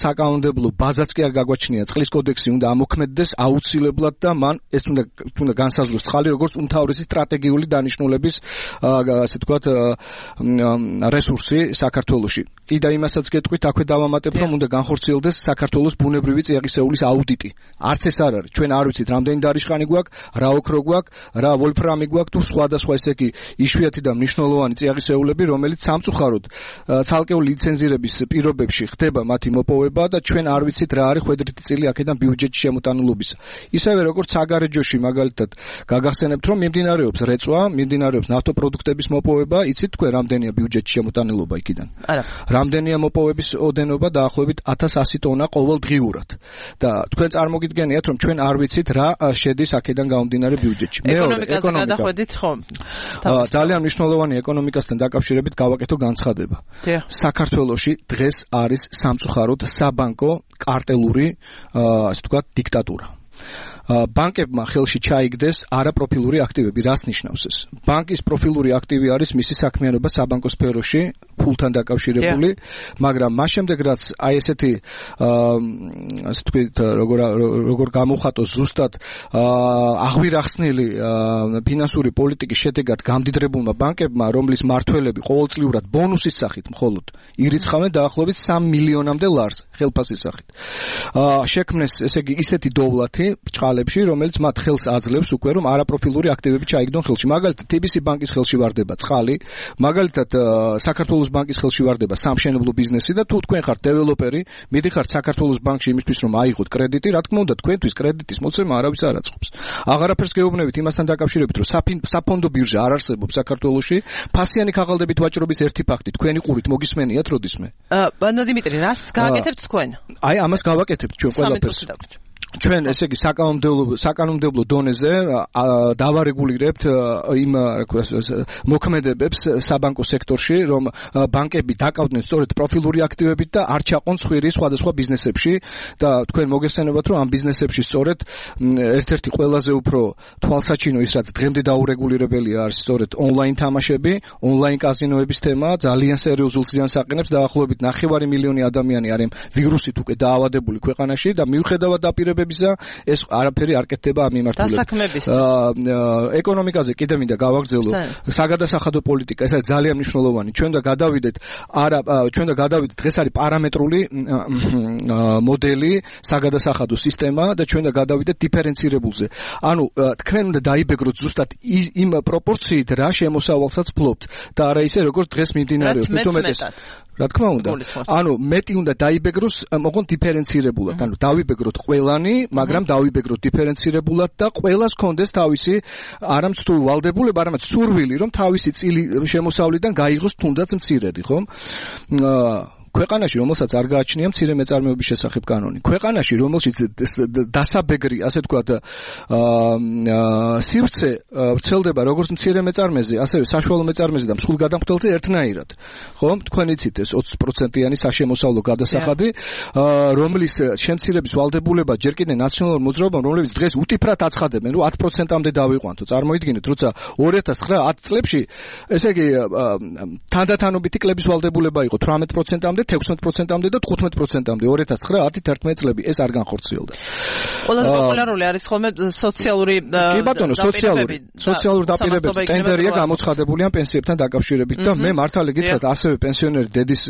საკანონმდებლო ბაზაც კი არ გაგვაჩნია. წყლის კოდექსი უნდა ამოქმედდეს აუცილებლად და მან ეს უნდა განსაზღვროს წყალი როგორც უმთავრესი სტრატეგიული დანიშნულების ასე ვთქვათ რესურსი საქართველოში. კიდე იმასაც გეტყვით, აქვე დავამატებ, რომ უნდა განხორციელდეს საქართველოს ბუნებრივი წიაღისეულის აუდიტი. არც ეს არ არის. ჩვენ არ ვიცით, რამდენი დარიშხანი გვაქვს, რა ოქრო გვაქვს, რა ვოლფრამი გვაქვს თუ სხვადასხვა ესე იგი იშვიათი და მნიშვნელოვანი წიაღისეულები, რომელიც სამწუხაროდ ცალკეული ლიცენზირების პირობებში ხდება მათი მოპოვება და ჩვენ არ ვიცით რა არის ხვედრითი წილი აქედან ბიუჯეტში შემოტანილობისა. ისევე როგორც საგარეჯოში მაგალითად გაგახსენებთ, რომ მიმდინარეობს რეწვა, მიმდინარეობს ნავთობპროდუქტების მოპოვება, იცით თქვენ რამდენია ბიუჯეტში შემოტანილობა იქიდან? არა. რამდენია მოპოვების ოდენობა დაახლოებით 1100 ტონა ყოველდღიურად. და თქვენ წარმოგიდგენიათ, რომ ჩვენ არ ვიცით რა შედის აქედან გამომდინარე ბიუჯეტში. ეკონომიკაზე გადახვედით ხომ? ძალიან მნიშვნელოვანი ეკონომიკასთან დაკავშირებით გავაკეთო განცხადება. საქართველოში დღეს არის სამწუხაროდ საბანკო კარტელური ასე ვთქვათ დიქტატურა. ბანკებმა ხელში ჩაიგდეს არაპროფილური აქტივები. რას ნიშნავს ეს? ბანკის პროფილური აქტივი არის მისი საქმიანობა საბანკო სფეროში, ფულთან დაკავშირებული, მაგრამ მას შემდეგ რაც აი ესეთი ასე ვთქვით, როგორ გამოვხატოს ზუსტად აღვირახსნილი ფინანსური პოლიტიკის შედეგად გამდიდრებულმა ბანკებმა, რომლის მმართველები ყოველწლიურად ბონუსის სახით მხოლოდ ირიცხავენ დაახლოებით 3 მილიონამდე ლარს ხელფასის სახით. შექმნეს ესე იგი ისეთი დოვლათი ბჭყალებში, რომელიც მათ ხელს აძლევს უკვე რომ არაპროფილური აქტივები ჩაიგდონ ხელში. მაგალითად, TBC ბანკის ხელში ვარდება წყალი, მაგალითად საქართველოს ბანკის ხელში ვარდება სამშენებლო ბიზნესი და თუ თქვენ ხართ დეველოპერი, მიდიხართ საქართველოს ბანკში იმისთვის რომ აიღოთ კრედიტი, რა თქმა უნდა, თქვენთვის კრედიტის მოცემა არავის არ აწყობს. აღარაფერს გეუბნებით იმასთან დაკავშირებით, რომ საფონდო ბირჟა არ არსებობს საქართველოში, ფასიანი ქაღალდებით ვაჭრობის ერთი ფაქტი, თქვენი ყურით მოგისმენიათ როდისმე? ბანო დიმიტრი, რას გააკეთებთ თქვენ? აი, ამას გავაკეთებთ ჩვენ ყველაფერს. ჩვენ ესე იგი საკანონმდებლო დონეზე დავარეგულირებთ იმ მოქმედებებს საბანკო სექტორში, რომ ბანკები დაკავდნენ სწორედ პროფილური აქტივებით და არ ჩაყონ სხვირი სხვადასხვა ბიზნესებში და თქვენ მოგეხსენებათ, რომ ამ ბიზნესებში სწორედ ერთ-ერთი ყველაზე უფრო თვალსაჩინო ის რაც დღემდე დაურეგულირებელია არის სწორედ ონლაინ თამაშები, ონლაინ კაზინოების თემა ძალიან სერიოზულ ზიანს აყენებს და დაახლოებით 9 მილიონი ადამიანი არიან ვირუსით უკვე დაავადებული ქვეყანაში და მიუხედავად დაპირებებისა ეს არაფერი არ კეთდება ამ მიმართულებით. ეკონომიკაზე კიდე მინდა გავაგრძელო საგადასახადო პოლიტიკა, ეს არის ძალიან მნიშვნელოვანი. ჩვენ და გადავიდეთ დღეს არის პარამეტრული მოდელი, საგადასახადო სისტემა და ჩვენ და გადავიდეთ დიფერენცირებულზე. ანუ თქვენ უნდა დაიბეგროთ ზუსტად იმ პროპორციით რა შემოსავალსაც ფლობთ და არა ისე როგორც დღეს მიმდინარეობს. რა თქმა უნდა. ანუ მეტი უნდა დაიბეგროს, მოყონ დიფერენცირებულად. ანუ დავიბეგროთ ყველანი, მაგრამ დავიბეგროთ დიფერენცირებულად და ყველას კონდეს თავისი არამცდულ ვალდებულება, არამედ სურვილი, რომ თავისი წილი შემოსავლიდან გაიღოს თუნდაც მცირედი, ხომ? ქვეყანაში, რომელსაც არ გააჩნია მცირე მეწარმეობის შესახებ კანონი. ქვეყანაში, რომელშიც დასაბეგრი, ასე ვთქვათ, სივრცე ვრცელდება როგორც მცირე მეწარმეზე, ასევე საშუალო მეწარმეზე და მსხვილ გადამხდელზე ერთნაირად. ხო? თქვენ იცით ეს 20%-იანი საშემოსავლო გადასახადი, რომლის შემცირების ვალდებულება ჯერ კიდევ ნაციონალურ მოძრაობამ, რომლებიც დღეს უტიფრად აცხადებენ, რომ 10%-ამდე დავიყვანთო. წარმოიდგინეთ, როცა 2009-10 წლებში, ესე იგი, თანდათანობითი კლების ვალდებულება იყო 18%-ამდე 16%-ამდე და 15%-ამდე 2009-10 წლები ეს არ განხორციელდა. ყველაზე პოპულარული არის ხოლმე სოციალური კი ბატონო, სოციალური დაპირებები ტენდერია გამოცხადებული ამ პენსიებთან დაკავშირებით და მე მართალი გითხრათ, ასევე პენსიონერი დედის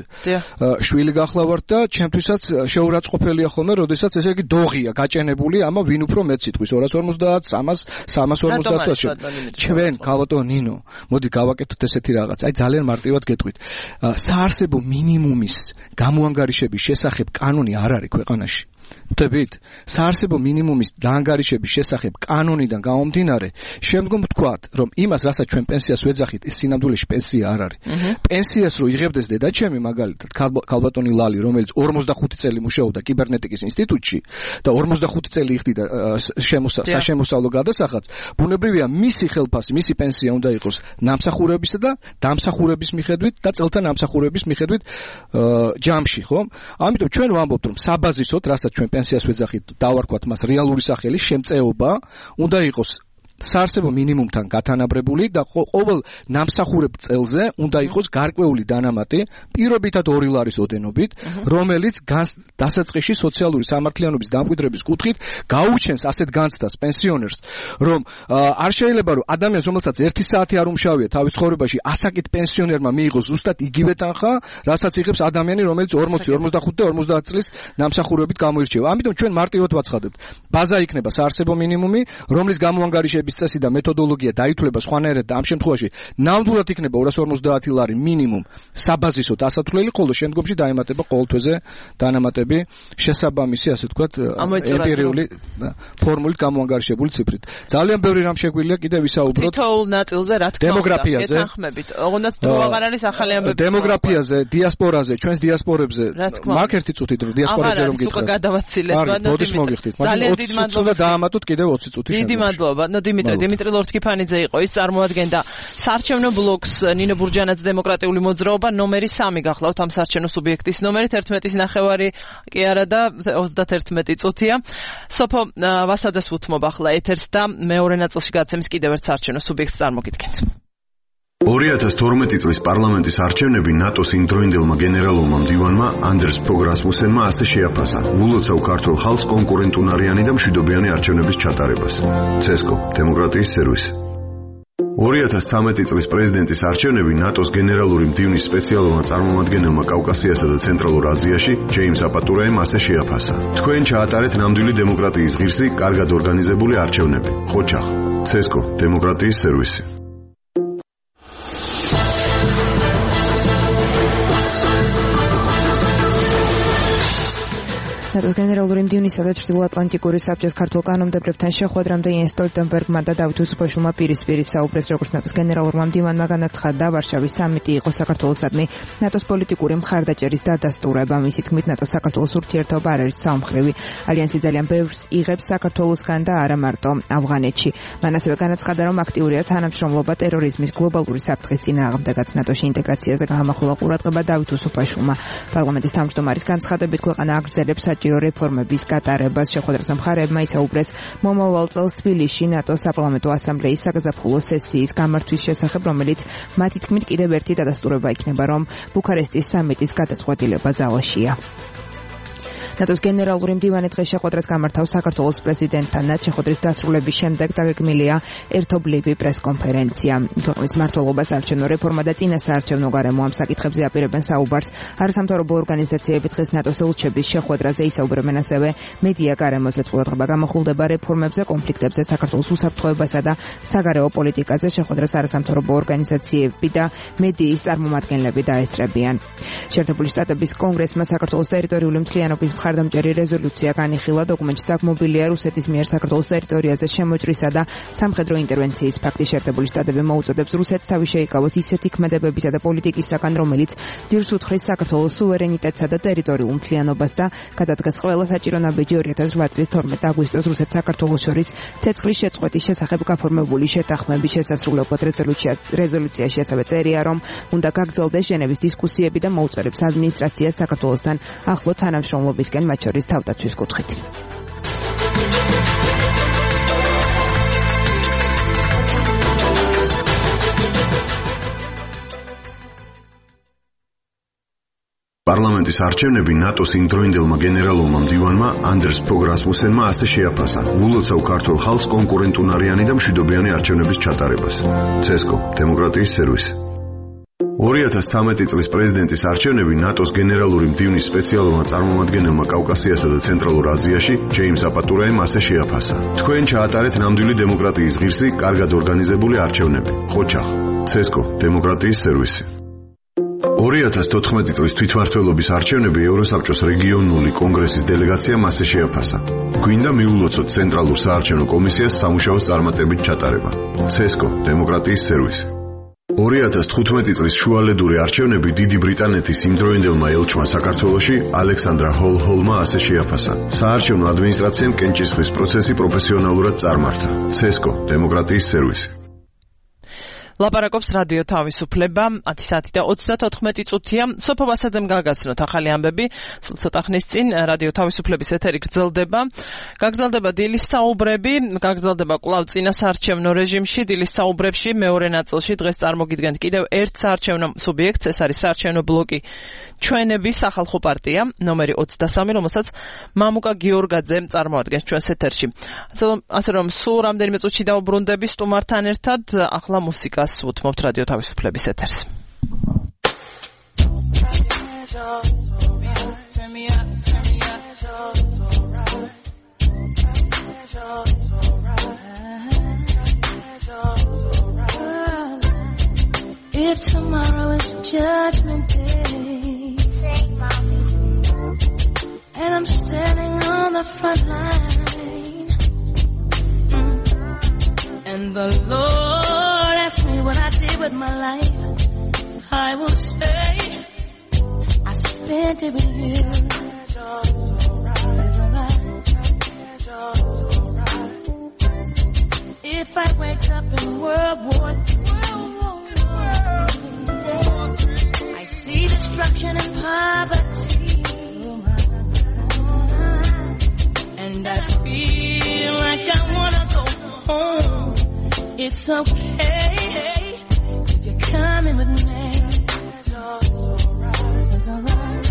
შვილი გახლავართ და ჩემთვისაც შეურაცხყოფელია ხოლმე, როდესაც ესე იგი დოღია გაჭენებული, ამა ვინ უფრო მეტ სიტყვის 250, 300, 350. ჩვენ გავატო ნინო, მოდი გავაკეთოთ ესეთი რაღაც. აი ძალიან მარტივად გეტყვით. საარსებო მინიმუმის გამოანგარიშების შესახებ კანონი არ არის ქვეყანაში. ვთქვით, საარსებო მინიმუმის დაანგარიშების შესახებ კანონიდან გამომდინარე, შემდგომ ვთქვათ, რომ იმას, რასაც ჩვენ პენსიას ვეძახით, ის სინამდვილეში პენსია არ არის. პენსიას რო იღებდეს დედაჩემი, მაგალითად, ქალბატონი ლალი, რომელიც 45 წელი მუშაობდა კიბერნეტიკის ინსტიტუტში და 45 წელი იხდიდა საშემოსავლო გადასახადს, ბუნებრივია მისი ხელფასი, მისი პენსია უნდა იყოს ნამსახურებისა და დამსახურების მიხედვით და წელთა ნამსახურების მიხედვით ჯამში, ხო? ამიტომ ჩვენ ვამბობთ, რომ საბაზისოდ, რასაც ჩვენ პენსიას ვეძახით, დავარქვათ მას რეალური სახელი, შემწეობა უნდა იყოს საარსებო მინიმუმთან გათანაბრებული და ყოველ ნამსახურებ წელზე უნდა იყოს გარკვეული დანამატი, პირობითად 2 ლარის ოდენობით, რომელიც დასაწყისში სოციალური სამართლიანობის დამკვიდრების კუთხით გაუჩენს ასეთ განცდას პენსიონერს, რომ არ შეიძლება რომ ადამიანს, რომელსაც 1 საათი არ უმშავია თავის ცხოვრებაში, ასაკით პენსიონერმა მიიღოს ზუსტად იგივე თანხა, რასაც იღებს ადამიანი, რომელიც 40, 45 და 50 წლის ნამსახურებით გამოირჩევა. ამიტომ ჩვენ მარტივად ვაცხადებთ, ბაზა იქნება საარსებო მინიმუმი, რომლის გამოანგარიშების წესი და მეთოდოლოგია დაითვლება სხვანაირად და ამ შემთხვევაში ნამდვილად იქნება 250 ლარი მინიმუმ საბაზისო დასათვლელი, ხოლო შემდგომში დაემატება ყოველთვეზე დანამატები შესაბამისი, ასე ვთქვათ, ემპირიული ფორმულით გამოანგარიშებული ციფრით. ძალიან ბევრი რამ შეგვიძლია კიდევ ვისაუბროთ. თითოეულ ნაწილზე რა თქმა უნდა, დემოგრაფიაზე, ეთანხმებით. ოღონდ დრო აღარ არის ახალი ამბები. დემოგრაფიაზე, დიასპორაზე, ჩვენს დიასპორებზე. მაგ ერთი წუთით რომ დიასპორაზე რომ გითხრათ. უკვე გადავაცილეთ, მოდის მოგიხდით. ძალიან დიდი მადლობა და დაამატოთ კიდევ 20 წუთი. დიდი მადლობა. დიმიტრი ლორთქიფანიძე იყო, ის წარმოადგენდა საარჩევნო ბლოკს ნინო ბურჯანაძე დემოკრატიული მოძრაობა, ნომერი 3 გახლავთ ამ საარჩევნო სუბიექტის ნომერი 11:09 კი არა და 31 წუთია. სოფო ვასაძეს უთმობ ახლა ეთერს და მეორე ნაწილში გაცემს კიდევ ერთ საარჩევნო სუბიექტს წარმოგიდგენთ. 2012 წლის პარლამენტის არჩევნები ნატოს იმდროინდელმა გენერალურმა მდივანმა ანდერს ფოგ რასმუსენმა ასე შეაფასა ულოცავ ქართულ ხალხს კონკურენტუნარიანი და მშვიდობიანი არჩევნების ჩატარებას. ცესკო, დემოკრატიის სერვისი. 2013 წლის პრეზიდენტის არჩევნები ნატოს გენერალური მდივნის სპეციალურმა წარმომადგენელმა კავკასიასა და ცენტრალურ აზიაში, ჯეიმს აპატურაემ ასე შეაფასა. თქვენ ჩაატარეთ ნამდვილი დემოკრატიის ღირსი, კარგად ორგანიზებული არჩევნები. ხოჩახ, ცესკო, დემოკრატიის სერვისი. ნატოს გენერალური მდივნისა და ჩრდილოატლანტიკური საბჭოს ქართულ კანონმდებლებთან შეხვედრამდე იენს სტოლტენბერგმა და დავით უსუფაშვილმა პირისპირ საუბრეს, როგორც ნატოს გენერალურმა მდივანმა განაცხადა, ვარშავის სამიტი იყო საქართველოსადმი ნატოს პოლიტიკური მხარდაჭერის დადასტურება. მისი თქმით, ნატოს საქართველოს ურთიერთობა არ არის საომხრივი. ალიანსი ძალიან ბევრს იღებს საქართველოსგან და არა მარტო ავღანეთში. მან ასევე განაცხადა, რომ აქტიურია თანამშრომლობა ტერორიზმის გლობალური საფრთხის წინააღმდეგაც. ნატოში ინტეგრაციაზე გაამახვილა ყურადღება დავით უსუფაშვილმა. პარლამენტის თავმჯდომარის განცხადებით, ქვეყანა აგრძელებს საჭირო რეფორმების გატარებას. შეხვედრაზე მხარეებმა ისაუბრეს მომავალ წელს თბილისში ნატოს საპარლამენტო ასამბლეის საზაფხულო სესიის გამართვის შესახებ, რომელიც მათი თქმით კიდევ ერთი დადასტურება იქნება, რომ ბუქარესტის სამიტის გადაწყვეტილება ძალაშია. ნატოს გენერალური მდივანი დღეს შეხვედრას გამართავს საქართველოს პრეზიდენტთან. შეხვედრის დასრულების შემდეგ დაგეგმილია ერთობლივი პრესკონფერენცია. ქვეყნის მმართველობას საარჩევნო რეფორმა და წინასაარჩევნო გარემო ამ საკითხებზე აპირებენ საუბარს. არასამთავრობო ორგანიზაციები დღეს ნატოს ელჩების შეხვედრაზე ისაუბრებენ ასევე მედია გარემოზე. ყურადღება გამახვილდება რეფორმებზე, კონფლიქტებზე, საქართველოს უსაფრთხოებასა და საგარეო პოლიტიკაზე. შეხვედრას არასამთავრობო ორგანიზაციები და მედიის წარმომადგენლები დაესწრებიან. შეერთებული შტატების კონგრესმა საქართველოს ტერიტორიული მთლიანობის მხარდამჭერი რეზოლუცია განიხილა. დოკუმენტში დაგმობილია რუსეთის მიერ საქართველოს ტერიტორიაზე შემოჭრისა და სამხედრო ინტერვენციის ფაქტი. შეერთებული შტატები მოუწოდებს რუსეთს თავი შეიკავოს ისეთი ქმედებებისა და პოლიტიკისაგან, რომელიც ძირს უთხრის საქართველოს სუვერენიტეტსა და ტერიტორიულ მთლიანობას და გადადგას ყველა საჭირო ნაბიჯი 2008 წლის 12 აგვისტოს რუსეთს საქართველოს შორის ცეცხლის შეწყვეტის შესახებ გაფორმებული შეთანხმების შესასრულებლად რეზოლუციაში ასევე წერია, რომ უნდა გაგრძელდეს ჟენევის დისკუსიები და მოუწოდებს ადმინისტრაციას საქართველოსთან ახლო თანამშრომლობისკენ, მათ შორის თავდაცვის კუთხით. პარლამენტის არჩევნები ნატოს იმდროინდელმა გენერალურმა მდივანმა ანდერს ფოგ რასმუსენმა ასე შეაფასა ულოცავ ქართულ ხალხს კონკურენტუნარიანი და მშვიდობიანი არჩევნების ჩატარებას. ცესკო, დემოკრატიის სერვისი. 2013 წლის პრეზიდენტის არჩევნები ნატოს გენერალური მდივნის სპეციალურმა წარმომადგენელმა კავკასიასა და ცენტრალურ აზიაში, ჯეიმს აპატურაემ ასე შეაფასა. თქვენ ჩაატარეთ ნამდვილი დემოკრატიის ღირსი, კარგად ორგანიზებული არჩევნები. ხოჩახ, ცესკო, დემოკრატიის სერვისი. 2014 წლის თვითმმართველობის არჩევნები ევროსაბჭოს რეგიონული კონგრესის დელეგაციამ ასე შეაფასა. გვინდა მიულოცოთ ცენტრალურ საარჩევნო კომისიას სამუშაოს წარმატებით ჩატარება. CESCO დემოკრატიის სერვისი. 2015 წლის შუალედური არჩევნები დიდი ბრიტანეთის იმდროინდელმა ელჩმა საქართველოში ალექსანდრა ჰოლჰოლმა ასე შეაფასა. საარჩევნო ადმინისტრაციამ კენჭისყრის პროცესი პროფესიონალურად წარმართა. CESCO დემოკრატიის სერვისი. ლაპარაკობს რადიო თავისუფლება 10 საათი და 34 წუთია. სოფო ვასაძემ გაგაცნოთ ახალი ამბები. ცოტა ხნის წინ რადიო თავისუფლების ეთერი გრძელდება. გაგრძელდება დილის საუბრები, გაგრძელდება კვლავ წინა საარჩევნო რეჟიმში. დილის საუბრებში მეორე ნაწილში დღეს წარმოგიდგენთ კიდევ ერთ საარჩევნო სუბიექტს, ეს არის საარჩევნო ბლოკი ჩვენების სახალხო პარტია, ნომერი 23, რომელსაც მამუკა გიორგაძე წარმოადგენს ჩვენს ეთერში. ასე რომ სულ რამდენიმე წუთში დაუბრუნდები სტუმართან ერთად, ახლა მუსიკას უთმობთ რადიო თავისუფლების ეთერს. If tomorrow is judgment day, sing, mommy. And I'm standing on the front line, and the Lord asked me what I did with my life, I will say I spent it with you. It's alright. If I wake up in World War III, I see destruction and poverty, and I feel like I wanna go home. It's okay if you're coming with me. It's alright.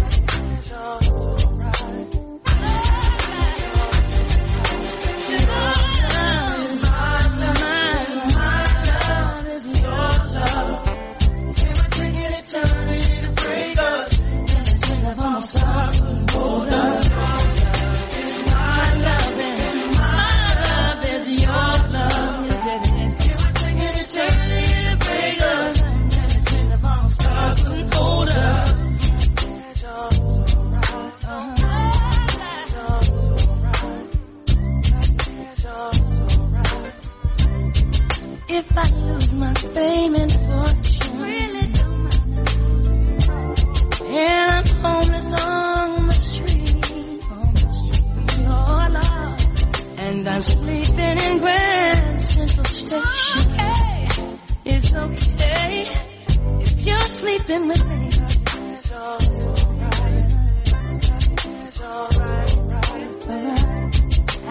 If I lose my fame and fortune, really don't matter. And I'm homeless on the street, oh Lord. And I'm sleeping in Grand Central Station. It's okay if you're sleeping with me.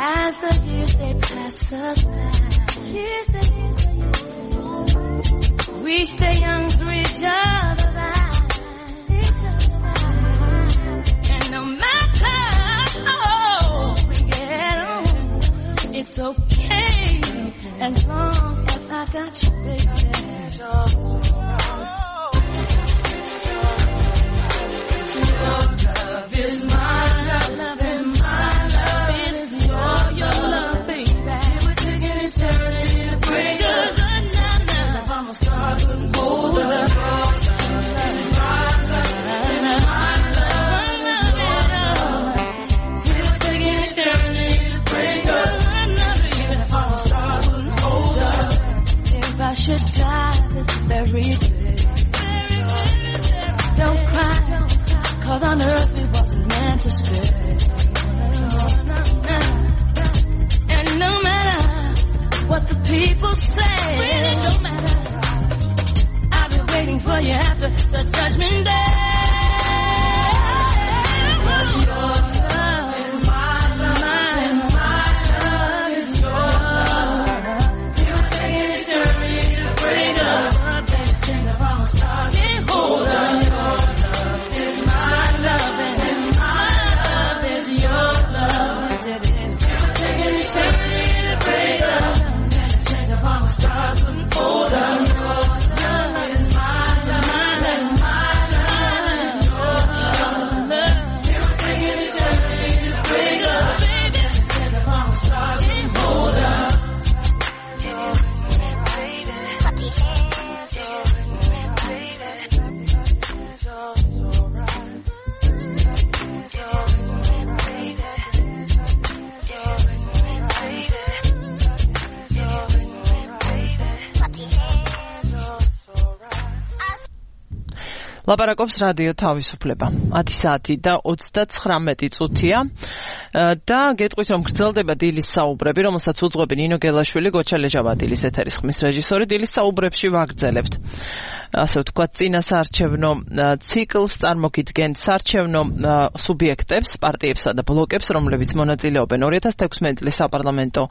As the years they pass us by, we stay young through each other's eyes. And no matter how we get on, it's okay as long as I got you, baby. Your love is my love, and my love is your love, baby. We're taking eternity to break us. I should die this very day. Don't cry, 'cause on earth we wasn't meant to stay. And no matter what the people say, really don't matter. I'll be waiting for you after the judgment day. ლაპარაკობს რადიო თავისუფლება. 10 საათი და 39 წუთია და გეტყვით რომ გრძელდება დილის საუბრები, რომელსაც უძღვები ნინო გელაშვილი, გოჩა ლეჟავადილის ეთერის ხმის რეჟისორი. დილის საუბრებში ვაგრძელებთ ასე ვთქვათ წინა საარჩევნო ციკლს, წარმოგიდგენთ საარჩევნო სუბიექტებს, პარტიებსა და ბლოკებს, რომლებიც მონაწილეობენ 2016 წლის საპარლამენტო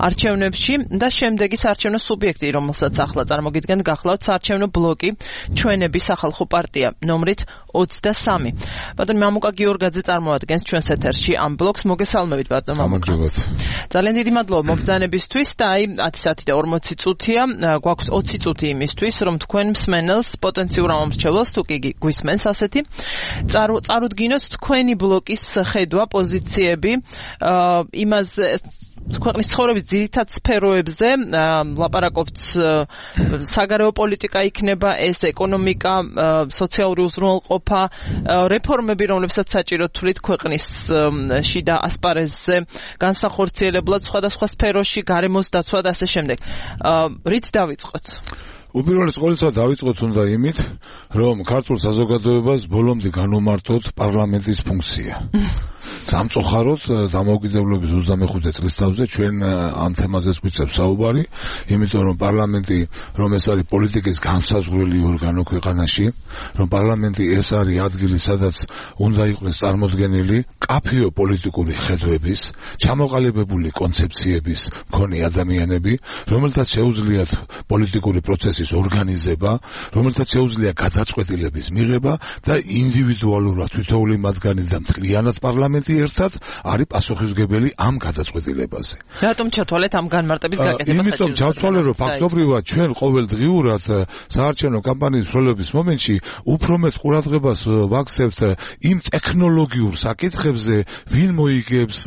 არჩევნებში და შემდეგი საარჩევნო სუბიექტი, რომელსაც ახლა წარმოგიდგენთ, გახლავთ საარჩევნო ბლოკი ჩვენების სახალხო პარტია ნომრით 23. ბატონო მამუკა გიორგაძე წარმოადგენს ჩვენს ეთერში ამ ბლოკს. მოგესალმებით ბატონო მამუკა. ძალიან დიდი მადლობა მობრძანებისთვის და აი 10 საათი და 40 წუთია, გვაქვს 20 წუთი იმისთვის, რომ თქვენ მსმენელს, პოტენციურ ამომრჩევლს, თუ კი გვისმენს ასეთი, წარუდგინოთ თქვენი ბლოკის ხედვა, პოზიციები, იმაზე ქვეყნის ცხოვრების ძირითად სფეროებზე, ლაპარაკობთ საგარეო პოლიტიკა იქნება ეს, ეკონომიკა, სოციალური უზრუნველყოფა, რეფორმები, რომლებსაც საჭიროდ თვლით ქვეყნის შიდა ასპარეზზე, განსახორციელებლად სხვადასხვა სფეროში, გარემოს დაცვა და ასე შემდეგ. რით დავიწყოთ? უპირველეს ყოვლისა დავიწყოთ უნდა იმით, რომ ქართულ საზოგადოებას ბოლომდე განვმართოთ პარლამენტის ფუნქცია. სამწუხაროდ დამოუკიდებლობის 25 წლის თავზე ჩვენ ამ თემაზეც გვიწევს საუბარი, იმიტომ რომ პარლამენტი, რომ ეს არის პოლიტიკის განსაზღვრელი ორგანო ქვეყანაში, რომ პარლამენტი ეს არის ადგილი, სადაც უნდა იყოს წარმოდგენილი კაფეო პოლიტიკური ხედვების, ჩამოყალიბებული კონცეფციების მქონე ადამიანები, რომელთაც შეუძლიათ პოლიტიკური პროცესის ორგანიზება, რომელთაც შეუძლია გადაწყვეტილების მიღება და ინდივიდუალურად თითოეული მათგანი და მთლიანად პარლამენტი ერთად არის პასუხისმგებელი ამ გადაწყვეტილებაზე. რატომ ჩათვალეთ ამ განმარტების გაკეთებას? იმიტომ ჩავთვალე, რომ ფაქტობრივად ჩვენ ყოველდღიურად საარჩევნო კამპანიის მსვლელობის მომენტში უფრო მეტ ყურადღებას ვაქცევთ იმ ტექნოლოგიურ საკითხებზე, ვინ მოიგებს,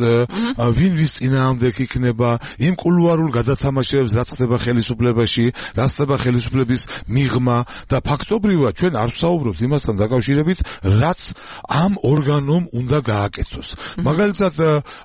ვინ ვის წინააღმდეგ იქნება, იმ კულუარულ გადათამაშებებს, რაც ხდება ხელისუფლებაში, რაც ხდება ხელისუფლების მიღმა და ფაქტობრივად ჩვენ არ ვსაუბრობთ იმასთან დაკავშირებით, რაც ამ ორგანომ უნდა გააკეთოს. მაგალითად,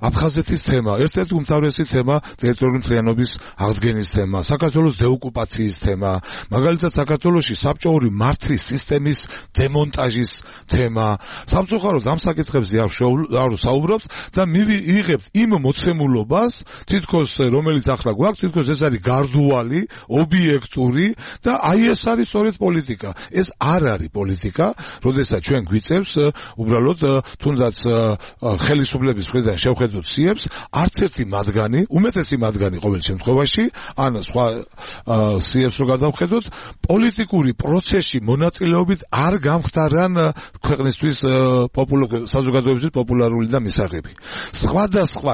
აფხაზეთის თემა, ერთ-ერთი უმთავრესი თემა, ტერიტორიული მთლიანობის აღდგენის თემა, საქართველოს დეოკუპაციის თემა, მაგალითად, საქართველოში საბჭოური მართლის სისტემის დემონტაჟის თემა. სამწუხაროდ ამ საკითხებზე არ საუბრობთ და მივიღებთ იმ მოცემულობას, თითქოს რომელიც ახლა გვაქვს, თითქოს ეს არის გარდუალი, ობიექტური და აი ეს არის სწორედ პოლიტიკა. ეს არ არის პოლიტიკა, როდესაც ჩვენ გვიწევს უბრალოდ თუნდაც ხელისუფლების მხრიდან შევხედოთ სიებს, არც ერთი მათგანი, უმეტესი მათგანი ყოველ შემთხვევაში, ან სხვა სიებს რო გადავხედოთ, პოლიტიკური პროცესში მონაწილეობით არ გამხდარან ქვეყნისთვის საზოგადოებისთვის პოპულარული და მისაღები. სხვადასხვა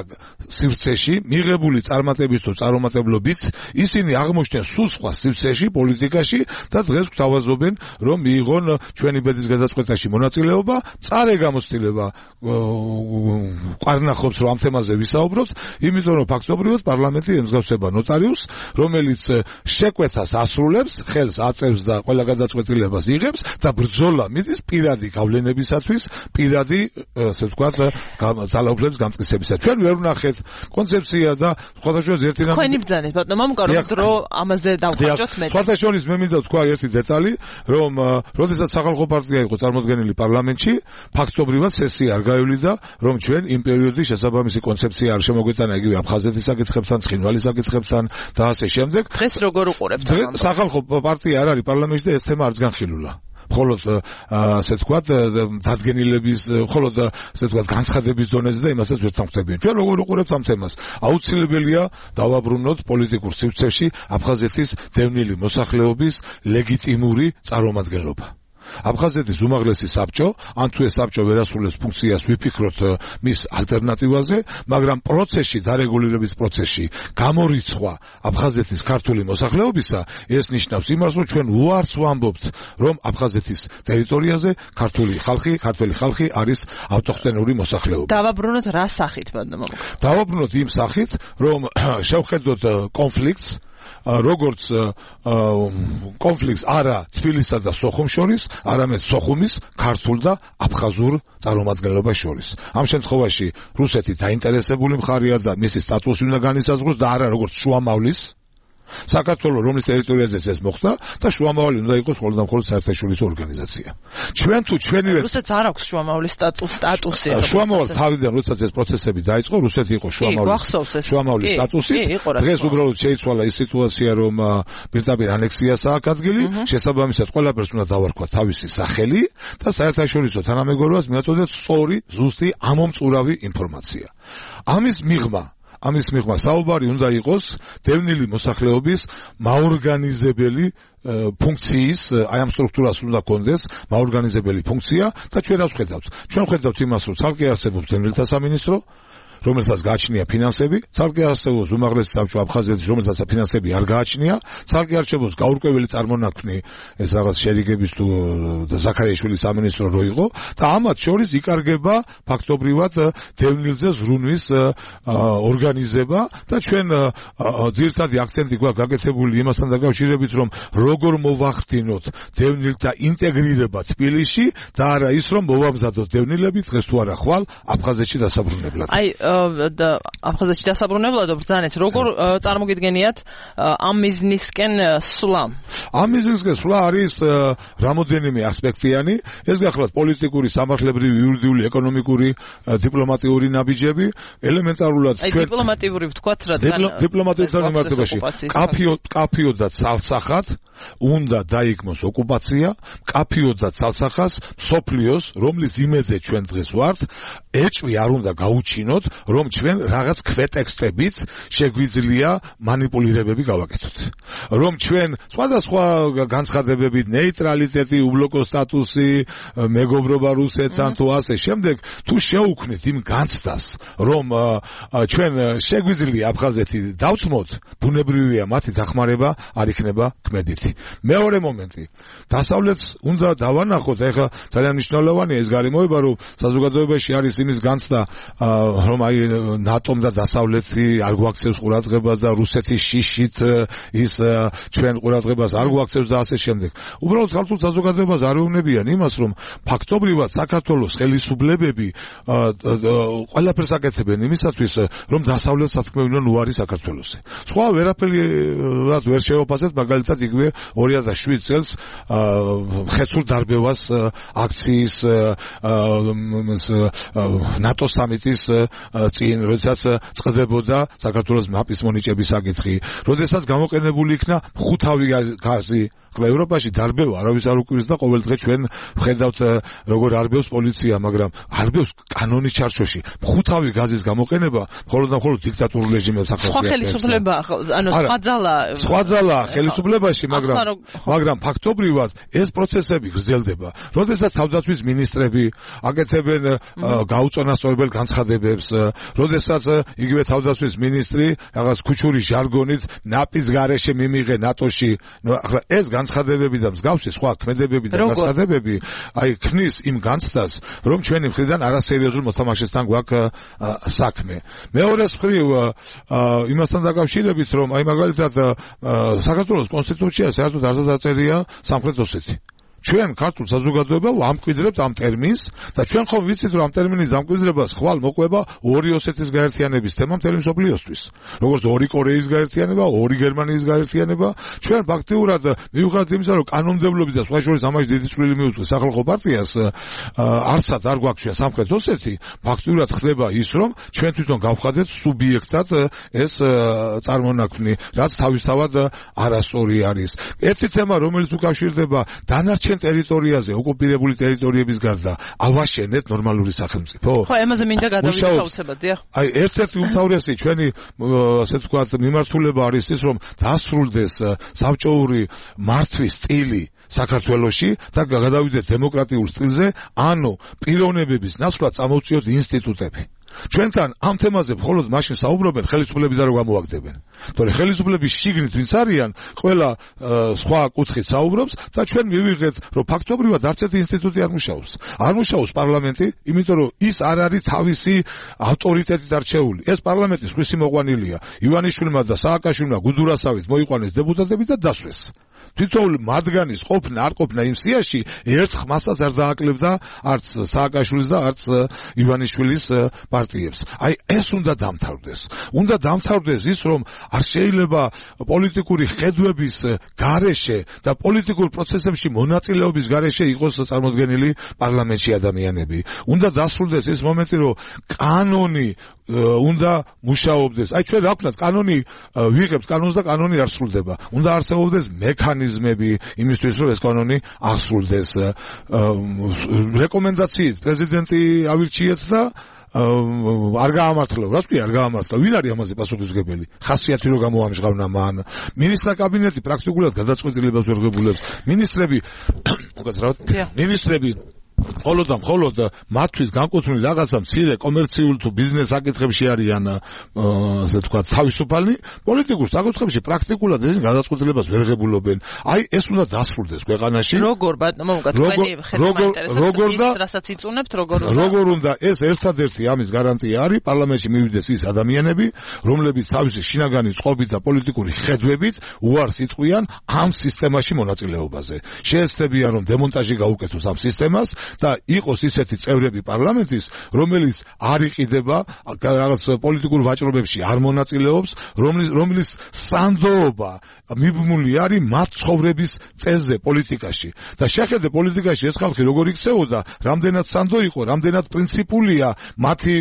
სივრცეში მიღებული წარმატებით თუ წარუმატებლობით ისინი აღმოჩნდნენ სულ სხვა სივრცეში პოლიტიკაში და დღეს გვთავაზობენ, რომ მიიღონ ჩვენი ბედის გადაწყვეტაში მონაწილეობა, წარე გამოცდილება ყარნახობს რომ ამ თემაზე ვისაუბროთ, იმიტომ რომ ფაქტობრივად პარლამენტი ემსგავსება ნოტარიუსს, რომელიც შეკვეთას ასრულებს, ხელს აწევს და ყველა გადაწყვეტილებას იღებს და ბრძოლა მიდის პირადი გავლენებისათვის, პირადი, ასე ვთქვათ, ძალაუფლების გამტკიცებისათვის. ჩვენ ვერ ვნახეთ კონცეფცია და სხვადასხვა ერთი რამე. თქვენი ბრძანეთ, ბატონო მამუკა, რომ დრო ამაზე დავხარჯოთ მე. სხვათა შორის მე მინდა ვთქვა ერთი დეტალი, რომ როდესაც სახალხო პარტია იყო წარმოდგენილი პარლამენტში, ფაქტობრივად სესია არ გაივლიდა, რომ ჩვენ იმ პერიოდში შესაბამისი კონცეფცია არ შემოგვეტანა იგივე აფხაზეთის საკითხებთან, ცხინვალის საკითხებთან და ასე შემდეგ. დღეს როგორ უყურებთ? სახალხო პარტია არ არის პარლამენტში და ეს თემა არც განხილულა. მხოლოდ ასე ვთქვათ, დადგენილების, მხოლოდ ასე ვთქვათ, განცხადების დონეზე და იმასაც ვერ თანხმდებიან. ჩვენ როგორ უყურებთ ამ თემას? აუცილებელია დავაბრუნოთ პოლიტიკურ სივრცეში აფხაზეთის დევნილი მოსახლეობის ლეგიტიმური წარმომადგენლობა. აფხაზეთის უმაღლესი საბჭო, ან თუ ეს საბჭო ვერ ასრულებს ფუნქციას, ვიფიქროთ მის ალტერნატივაზე, მაგრამ პროცესში, დარეგულირების პროცესში გამორიცხვა აფხაზეთის ქართული მოსახლეობისა, ეს ნიშნავს იმას, რომ ჩვენ უარს ვამბობთ, რომ აფხაზეთის ტერიტორიაზე ქართული ხალხი არის ავტოხტონური მოსახლეობა. დავაბრუნოთ რა სახით, ბატონო? დავაბრუნოთ იმ სახით, რომ შევხედოთ კონფლიქტს, როგორც კონფლიქტს არა თბილისსა და სოხუმს შორის, არამედ სოხუმის ქართულ და აფხაზურ წარმომადგენლობას შორის. ამ შემთხვევაში რუსეთი დაინტერესებული მხარეა და მისი სტატუსი უნდა განისაზღვროს და არა როგორც შუამავლის საქართველოს რომლის ტერიტორიაზეც ეს მოხდა და შუამავალი უნდა იყოს მხოლოდ და მხოლოდ საერთაშორისო ორგანიზაცია. ჩვენ თუ ჩვენივე რუსეთს არ აქვს შუამავლის სტატუსი. შუამავალ თავიდან როდესაც ეს პროცესები დაიწყო, რუსეთი იყო შუამავლის სტატუსი. დღეს უბრალოდ შეიცვალა ის სიტუაცია, რომ პირდაპირ ანექსიას აქვს ადგილი, შესაბამისად ყველაფერს უნდა დავარქვა თავისი სახელი და საერთაშორისო თანამეგობრობას მიაწოდეთ სწორი, ზუსტი, ამომწურავი ინფორმაცია. ამის მიღმა საუბარი უნდა იყოს დევნილი მოსახლეობის მაორგანიზებელი ფუნქციის, აი ამ სტრუქტურას უნდა კონდეს მაორგანიზებელი ფუნქცია და ჩვენ რას ვხედავთ? ჩვენ ვხედავთ იმას, რომ ცალკე არსებობს დევნილთა სამინისტრო, რომელსაც გააჩნია ფინანსები, ცალკე არსებობს უმაღლესი საბჭო აფხაზეთის, რომელსაც ფინანსები არ გააჩნია, ცალკე არსებობს გაურკვეველი წარმონაქმნი, ეს რაღაც შერიგების თუ ზაქარიაშვილის სამინისტრო რო იყო და ამათ შორის იკარგება ფაქტობრივად დევნილზე ზრუნვის ორგანიზება და ჩვენ ძირითადი აქცენტი გვაქვს გაკეთებული იმასთან დაკავშირებით, რომ როგორ მოვახდინოთ დევნილთა ინტეგრირება თბილისში და არა ის, რომ მოვამზადოთ დევნილები დღეს თუ არა ხვალ აფხაზეთში დასაბრუნებლად. აფხაზეთში დასაბრუნებლად ბრძანეთ, როგორ წარმოგიდგენიათ ამ მიზნისკენ სვლა? ამ მიზნისკენ სვლა არის რამოდენიმე ასპექტიანი, ეს გახლავთ პოლიტიკური, სამართლებრივი, იურიდიული, ეკონომიკური, დიპლომატიური ნაბიჯები, ელემენტარულად ჩვენ დიპლომატიური ვთქვათ, რადგან დიპლომატიურ მიმართებაში კაფიოდ და ცალსახად უნდა დაიგმოს ოკუპაცია, კაფიოდ და ცალსახას მსოფლიოს, რომლის იმედზე ჩვენ დღეს ვართ, ეჭვი არ უნდა გაუჩინოთ, რომ ჩვენ რაღაც ქვეტექსტებით შეგვიძლია манипуლირებები გავაკეთოთ. რომ ჩვენ სხვადასხვა განცხადებებით, ნეიტრალიტეტი, უბლოკო სტატუსი, მეგობრობა რუსეთთან თუ ასე შემდეგ, თუ შეუქმნით იმ განცდას, რომ ჩვენ შეგვიძლია აფხაზეთი დავთმოთ, ბუნებრივია მათი დახმარება არ იქნება ქმედითი. მეორე მომენტი, დასავლეთს უნდა დავანახოთ, ეხლა ძალიან მნიშვნელოვანია ეს გარემოება, რომ საზოგადოებაში არის იმის განცდა, რომ აი ნატომ და დასავლეთი არ გვაქცევს ყურადღებას და რუსეთის შიშით ის ჩვენ ყურადღებას არ გვაქცევს და ასე შემდეგ. უბრალოდ ქართულ საზოგადოებას არ ეუბნებიან იმას, რომ ფაქტობრივად საქართველოს ხელისუფლებები ყველაფერს აკეთებენ იმისათვის, რომ დასავლეთს ათქმევინონ უარი საქართველოსზე. სხვა ვერაფერი ვერ შევაფასეთ, მაგალითად იგივე 2007 წელს ხეცურ დარბევას აქციის ნატო სამიტის წინ, როდესაც წყდებოდა საქართველოს მაპის მონიჭების საკითხი, როდესაც გამოყენებული იქნა ხუთავი გაზი ევროპაში დარბევა არავის არ უკვირს და ყოველდღე ჩვენ ვხედავთ როგორ არბევს პოლიცია, მაგრამ არბევს კანონის ჩარჩოში. ხუთავი გაზის გამოყენება მხოლოდ და მხოლოდ დიქტატურულ რეჟიმებს ახასიათებს. სხვა ხელისუფლება, ანუ სხვა ძალა ხელისუფლებაში, მაგრამ ფაქტობრივად ეს პროცესები გრძელდება. როდესაც თავდაცვის მინისტრები აკეთებენ გაუწონასწორებელ განცხადებებს, როდესაც იგივე თავდაცვის მინისტრი რაღაც ქუჩური ჟარგონით ნაპის გარეშე მიმიღე ნატოში, ახლა ეს განცხადებები და მსგავსი სხვა ქმედებები და განცხადებები აი ქმნის იმ განცდას, რომ ჩვენი მხრიდან არასერიოზულ მოთამაშესთან გვაქვს საქმე. მეორეს მხრივ იმასთან დაკავშირებით, რომ აი მაგალითად საქართველოს კონსტიტუციაში საერთოდ არ დაწერია სამხრეთ ოსეთი. ჩვენ ქართულ საზოგადოება ვამკვიდრებთ ამ ტერმინს და ჩვენ ხომ ვიცით, რომ ამ ტერმინის დამკვიდრებას ხვალ მოყვება ორი ოსეთის გაერთიანების თემა მთელი მსოფლიოსთვის. როგორც ორი კორეის გაერთიანება, ორი გერმანიის გაერთიანება, ჩვენ ფაქტიურად მიუხედავად იმისა, რომ კანონმდებლობის და სხვა შორის ამაში დიდი წვლილი მიუძღვის სახალხო პარტიას, არცად არ გვაქვს ჩვენ სამხრეთ ოსეთი, ფაქტიურად ხდება ის, რომ ჩვენ თვითონ გავხადეთ სუბიექტად ეს წარმონაქმნი, რაც თავისთავად არასწორი არის. ერთი თემა, რომელიც უკავშირდება დანარჩენ ტერიტორიაზე, ოკუპირებული ტერიტორიების გარდა, ავაშენეთ ნორმალური სახელმწიფო. ხო, ამაზე მინდა გადავიდეთ აუცილებლად, დიახ. აი, ერთ-ერთი უმთავრესი ჩვენი, ასე ვთქვათ, მიმართულება არის ის, რომ დასრულდეს საბჭოური მართვის სტილი საქართველოში და გადავიდეთ დემოკრატიულ სტილზე, ანუ პიროვნებების ნაცვლად წამოვწიოთ ინსტიტუტები. ჩვენთან ამ თემაზე მხოლოდ მაშინ საუბრობენ ხელისუფლების და რო გამოვაგდებენ. თორე ხელისუფლების შიგნით ვინც არიან, ყველა სხვა კუთხით საუბრობს და ჩვენ მივიღეთ, რომ ფაქტობრივად არც ერთი ინსტიტუტი არ მუშაობს. არ მუშაობს პარლამენტი, იმიტომ რომ ის არ არის თავისი ავტორიტეტით არჩეული. ეს პარლამენტის ხვისი მოყვანილია. ივანიშვილმა და სააკაშვილმა გუდურასავით მოიყვანეს დეპუტატები და დასვეს. თითოეული მათგანის ყოფნა არ ყოფნა იმ სიაში ერთ ხმასაც არ დააკლებდა არც სააკაშვილის და არც ივანიშვილის პარტიებს. აი ეს უნდა დამთავრდეს. უნდა დამთავრდეს ის, რომ არ შეიძლება პოლიტიკური ხედვების გარეშე და პოლიტიკურ პროცესებში მონაწილეობის გარეშე იყოს წარმოდგენილი პარლამენტში ადამიანები. უნდა დასრულდეს ის მომენტი, რომ კანონი უნდა მუშაობდეს. აი ჩვენ რა ვქნათ, კანონი ვიღებთ კანონს და კანონი არ სრულდება. უნდა არსებობდეს მექანიზმები იმისთვის, რომ ეს კანონი აღსრულდეს. რეკომენდაციით პრეზიდენტი ავირჩიეთ და არ გაამართლა, რა თქვია, არ გაამართლა. ვინ არის ამაზე პასუხისმგებელი? ხასიათი რო გამოამჟღავნა მან. მინისტრთა კაბინეტი პრაქტიკულად გადაწყვეტილებას ვერ ღებულობს. მინისტრები მხოლოდ მათთვის განკუთვნილი რაღაცა მცირე კომერციულ თუ ბიზნეს საკითხებში არიან ასე ვთქვათ თავისუფალი, პოლიტიკურ საკითხებში პრაქტიკულად ეს გადაწყვეტილებას ვერ ღებულობენ. აი ეს უნდა დასრულდეს ქვეყანაში. როგორ ბატონო თქვენი ხედვა რასაც იწუნებთ, როგორ უნდა ეს ერთადერთი ამის გარანტია არის პარლამენტში მივიდეს ის ადამიანები, რომლებიც თავისი შინაგანი წყობით და პოლიტიკური ხედვებით უარს იტყვიან ამ სისტემაში მონაწილეობაზე. შეეცდებიან რომ დემონტაჟი გაუკეთოს ამ სისტემას და იყოს ისეთი წევრები პარლამენტის, რომელიც არ იყიდება რაღაც პოლიტიკურ ვაჭრობებში, არ მონაწილეობს, რომლის სანდოობა მიბმული არის მათ ცხოვრების წესზე პოლიტიკაში. და შეხედე პოლიტიკაში ეს ხალხი როგორ იქცეოდა, რამდენად სანდო იყო, რამდენად პრინციპულია მათი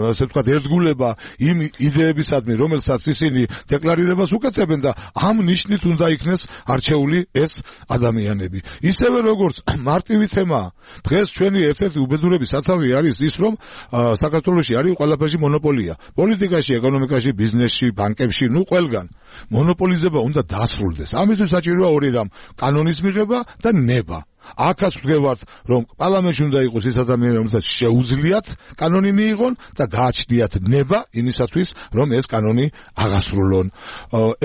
ასე ვთქვათ ერთგულება იმ იდეებისადმი, რომელსაც ისინი დეკლარირებას უკეთებენ და ამ ნიშნით უნდა იქნეს არჩეული ეს ადამიანები. ისევე როგორც მარტივი თემაა. დღეს ჩვენი ერთ-ერთი უბედურების სათავე არის ის, რომ საქართველოში არის ყველაფერში მონოპოლია. პოლიტიკაში, ეკონომიკაში, ბიზნესში, ბანკებში, ყველგან. მონოპოლიზება უნდა დასრულდეს. ამისთვის საჭიროა ორი რამ: კანონის მიღება და ნება. აქაც ვდგევართ, რომ პარლამენტში უნდა იყოს ის ადამიანები, რომელსაც შეუძლიათ კანონი მიიღონ და გააჩნიათ ნება იმისათვის, რომ ეს კანონი აღასრულონ.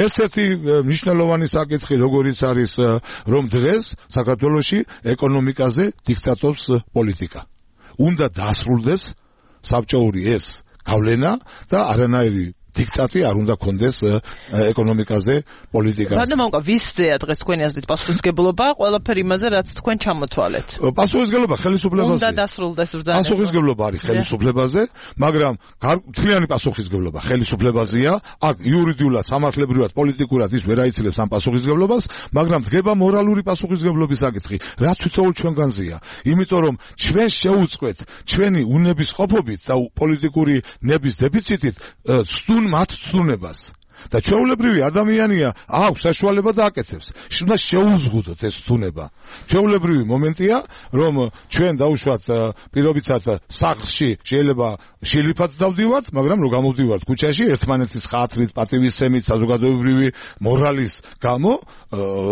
ერთ-ერთი მნიშვნელოვანი საკითხი როგორიც არის, რომ დღეს საქართველოში ეკონომიკაზე დიქტატორს პოლიტიკა. უნდა დასრულდეს საბჭოური ეს გავლენა და არანაირი დიქტატი არ უნდა კონდეს ეკონომიკაზე პოლიტიკაზე. ბატონო, ვისწეა დღეს თქვენი აზრით პასუხისმგებლობა ყველაფერი იმაზე, რაც თქვენ ჩამოთვალეთ? პასუხისმგებლობა ხელისუფლებაზე. უნდა დასრულდეს ბრძანება. პასუხისმგებლობა არის ხელისუფლებაზე, მაგრამ მთლიანი პასუხისმგებლობა ხელისუფლებაზეა. აქ იურიდიულად, სამართლებრივად, პოლიტიკურად ის ვერ აიცილებს ამ პასუხისმგებლობას, მაგრამ დგება მორალური პასუხისმგებლობის საკითხი, რაც თითოეულ ჩვენგანზეა. იმიტომ რომ ჩვენ შეუწყვეთ ჩვენი უნებისყოფობით და პოლიტიკური ნების დეფიციტით მათ ცნებას. და ჩვეულებრივი ადამიანია აქვს საშუალება და აკეთებს. უნდა შეუზღუდოთ ეს ცნება. ჩვეულებრივი მომენტია, რომ ჩვენ დაუშვათ პირობითად სახლში შეიძლება შილიფად დავდივართ, მაგრამ რო გამოვდივართ ქუჩაში ერთმანეთის ხათრით, პატივისცემით, საზოგადოებრივი მორალის გამო